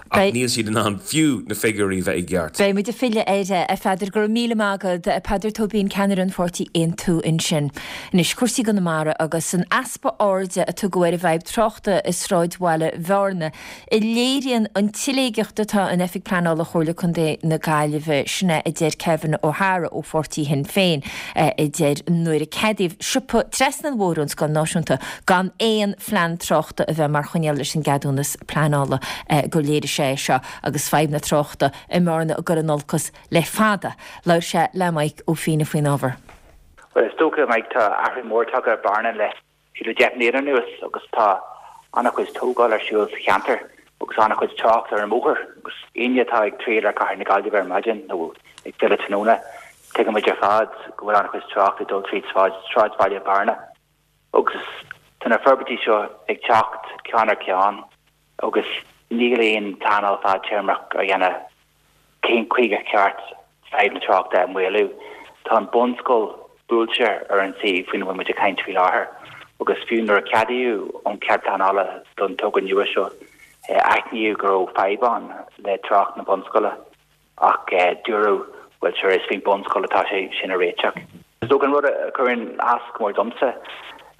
ach níl siad in ann fiú na figiúirí bheith i gceart. Beidh muid ag filleadh air, a Pheadair. Go raibh míle maith agat. Peadar Tóibín, ceannaire an pháirtí Aontú ansin. Anois, cúrsaí i gConamara agus an easpa airde a tugadh ar an bhfadhb tráchta i sráidbhaile Bhearna. a léiríonn an tsiléigeacht atá in Oifig Pleanála Chomhairle Contae na Gaillimhe, sin é a deir Kevin O'Hara ó pháirtí Shinn Féin, a deir nuair a ceadaíodh siopa trasna an bhóthair ón Scoil Náisiúnta gan aon phlean tráchta a bheith mar choinníoll leis an gceadúnas pleanála gur léirigh sé é seo agus fadhb na tráchta i mBearna ag dul in olcas le fada. Labhair sé le Maidhc Ó Fianna faoin ábhar. Bhuel, is dócha, Mike, tá athrú mór tagtha ar Bhearna le fiú le 10 mbliana anuas agus tá an-chuid tógáil ar siúl sa cheantar agus an-chuid trácht ar an mbóthar agus éinne atá ag triall ar chathair na Gaillimhe ar maidin nó ag filleadh tráthnóna, tuigimid ar fad go bhfuil an-chuid trácht ag dul tríd sráidbhaile Bhearna agus tá na forbairtí seo ag teacht ceann ar cheann agus níl aon pleanáil fadtéarmach á dhéanamh cén chaoi gur cheart fadhb na tráchta a mhaolú. Tá an bunscoil buailte ar an suíomh faoina bhfuil muid ag caint faoi láthair agus fiú nuair a ceadaíodh an cead pleanála don togra nua seo, aithníodh go raibh fadhb ann le trácht na bunscoile ach dúradh, bhuel sure, is faoin bunscoil atá sé sin a réiteach. Is dócha an rud a chuireann as go mór domsa,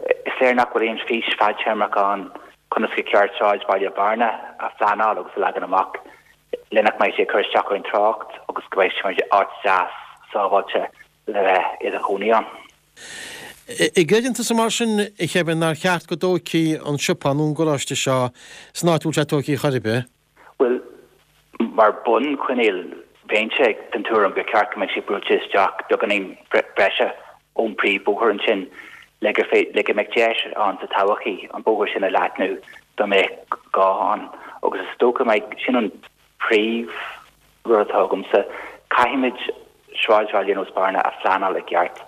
is léir nach bhfuil aon fís fadtéarmach ann conas gur cheart sráidbhaile Bhearna a phleanáil agus a leagan amach. le nach mbeidh sé ag cur isteach ar an trácht agus go mbeidh sé mar áit deas sábháilte le bheith i do chónaí ann. An gcreideann tusa mar sin, a Kevin, nár cheart go dtógfaí an siopa nó an garáiste seo san áit a bhfuil sé tógtha chor ar bith? Bhuel, mar bhunchoinníoll, bheinnse den tuairim gur cheart go mbeadh sé buailte isteach beagáinín breise ón bpríomhbhóthar ansin le gur le go mbeadh deis ann sa todhchaí an bóthar sin a leathnú dá mbeadh gá ann. Agus is dócha Mike, sin an príomh rud atá agamsa, caithfimid sráidbhaile ar nós Bearna a phleanáil i gceart.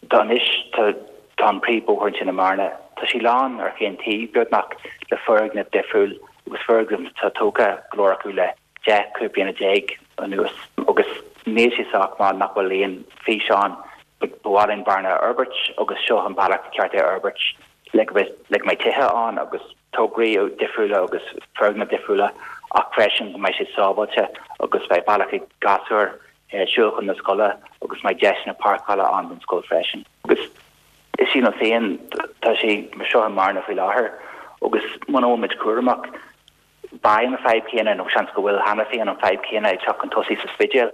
Tá anois, tá tá an príomhbhóthar ansin i mBearna, tá sé lán ar chaon taobh beagnach le foirgnimh difriúil agus foirgnimh atá tógtha go leor acu le 10, 15 bliana anuas agus níl sé sách maith nach bhfuil aon fís ann. Ba mhaith linn Bearna a fhorbairt agus seo an bealach ceart é a fhorbairt le go le go mbeidh tithe ann agus tograí difriúla agus foirgnimh difriúla ach freisin go mbeidh sé sábháilte agus beidh bealach ag gasúir siúl chun na scoile agus mbeidh deiseanna páirceála ann don scoil freisin. Agus sílim féin tá sé mar seo i mBearna faoi láthair agus muna bhfuil muid cúramach Beidh an fadhb chéanna, nó seans go bhfuil cheana féin an fadhb chéanna ag teacht chun tosaigh sa Spidéal.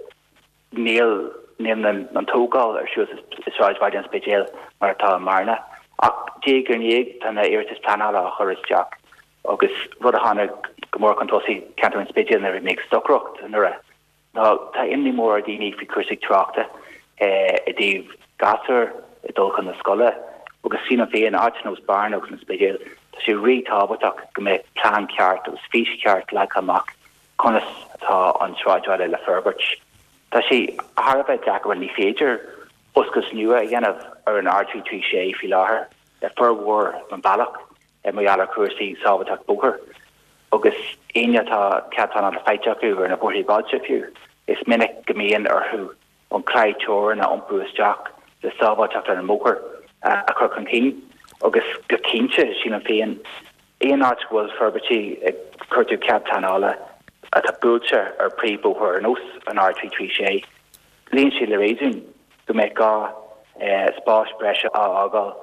Níl níl an tógáil ar siúl i sráidbhaile an Spidéil mar atá i mBearna. Ach diaidh ar ndiaidh tá na iarratais pleanála á chur isteach agus rud a tháinig go mór chun tosaigh i gceantar an Spidéil nuair a bhí mé ag stocaireacht anuraidh ná tá imní mór ar dhaoine faoi chúrsaí tráchta i dtaobh gasúir ag dul chun na scoile agus sílim féin, áit ar nós Bearna agus an Spidéal, tá sé rí-tábhachtach go mbeadh plean ceart agus fís cheart leagtha amach conas atá an sráidbhaile le forbairt. Tá sé thar a bheith deacair, bhuel ní féidir oscailt nua a dhéanamh ar an R336 faoi láthair le formhór den bealach mar gheall ar chúrsaí sábháilteacht bóthair. Agus éinne atá cead pleanála faighte acu ar na bóithre bailte fiú, is minic go mbíonn orthu an claí teorann a iompú isteach le sábháilteacht ar an mbóthar a chur chun cinn. Agus go cinnte, sílim féin, aon áit go bhfuil forbairtí ag cuartú cead pleanála atá buailte ar príomhbhóthar ar nós an R336, luíonn sé le réasún go mbeadh gá spáis breise a fhágáil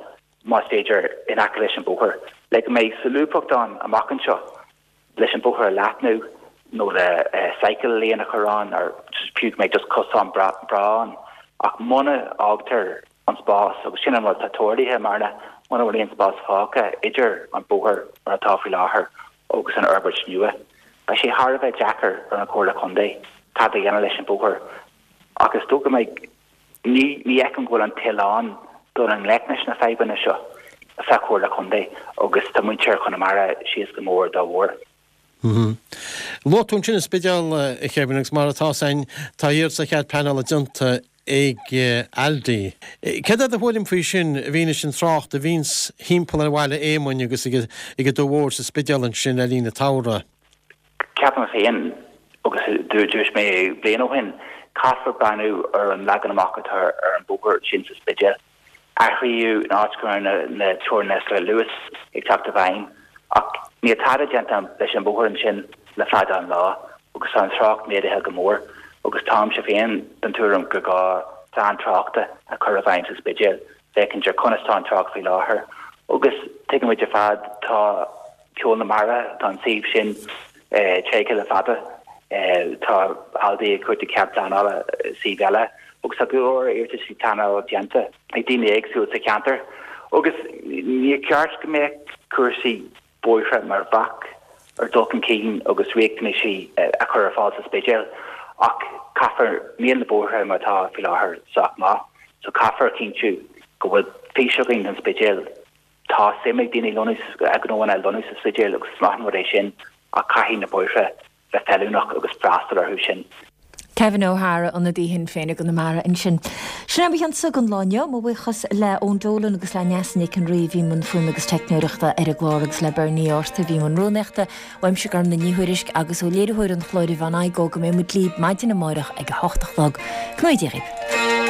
más féidir, in aice leis an bhóthar, le go mbeidh solúbthacht ann amach anseo leis an bóthar a leathnú nó le cycle lane a chur ann or fiú go mbeidh just cosán breá ann. Ach muna fhágtar an spás, agus sin an rud atá tarlaithe i mBearna. muna bhfuil aon spás fágtha idir an bóthar mar atá faoi láthair agus an fhorbairt nua, beidh sé thar a bheith deacair ar an Chomhairle Contae tada a dhéanamh leis an bóthar. Ach is dócha go mbeidh, ní fheicim go bhfuil an toil ann dul i ngleic leis na fadhbanna seo sa Chomhairle Contae agus tá muintir Chonamara síos go mór dá bharr. Luaigh tú ansin an Spidéal, a Kevin, agus mar atá 's againn, tá iarratas ar chead pleanála déanta ag Aldi. Céard é do thuairim faoi sin, i bhfianaise an trácht a bhíonns thimpeall ar Bhaile Éamoinn agus ag an Dumha Mhór sa Spidéal ansin le linn an tsamhraidh? Ceapaim féin, agus dúirt mé bliain ó shin, caithfear breathnú ar an leagan amach atá ar an bóthar sin sa Spidéal. Athraíodh an áit go raibh na teorainneacha luais ag teacht i bhfeidhm, ach níl tada déanta leis an bhóthar ansin le fada an lá agus tá an trácht méadaithe go mór agus táimse féin den tuairim gur gá plean tráchta a chur i bhfeidhm sa Spidéal féachaint ar conas tá an trácht faoi láthair agus tuigimid ar fad tá Ceol na Mara, tá an suíomh sin tréigthe le fada. Tá Aldi ag cuartú cead pleanála suíomh eile agus tá go leor iarrataisí pleanála déanta ag daoine éagsúla sa cheantar agus níor cheart go mbeadh cúrsaí bóithre mar bhac ar dhul chun cinn agus riachtanaisí a chur ar fáil sa Spidéal ach caithfear, níl na bóithre mar atá faoi láthair sách maith so caithfear a chinntiú go bhfuil fís againn don Spidéal. Tá suim ag daoine lonnú, gnóanna a lonnú sa Spidéal agus is maith an rud é sin ach caithfidh na bóithre bheith feiliúnach agus freastal orthu sin. Kevin O'Hara, ionadaí Shinn Féin i gConamara ansin. Sin é mo chionsa don lá inniu. Mo bhuíochas le Eoin Dolan agus le Neasa Nic an Rí a bhí i mbun fuaime agus teicneoireachta ar an gclár agus le Bernie Arthur a bhí i mbun rúnaíochta. Uaimse Gormlaith Ní Thuairisg agus ó léiritheoir an chláir Yvonne Igoe go mbeidh muid libh maidin amárach ag a hocht a chlog. Go ngnóthaí Dia dhaoibh.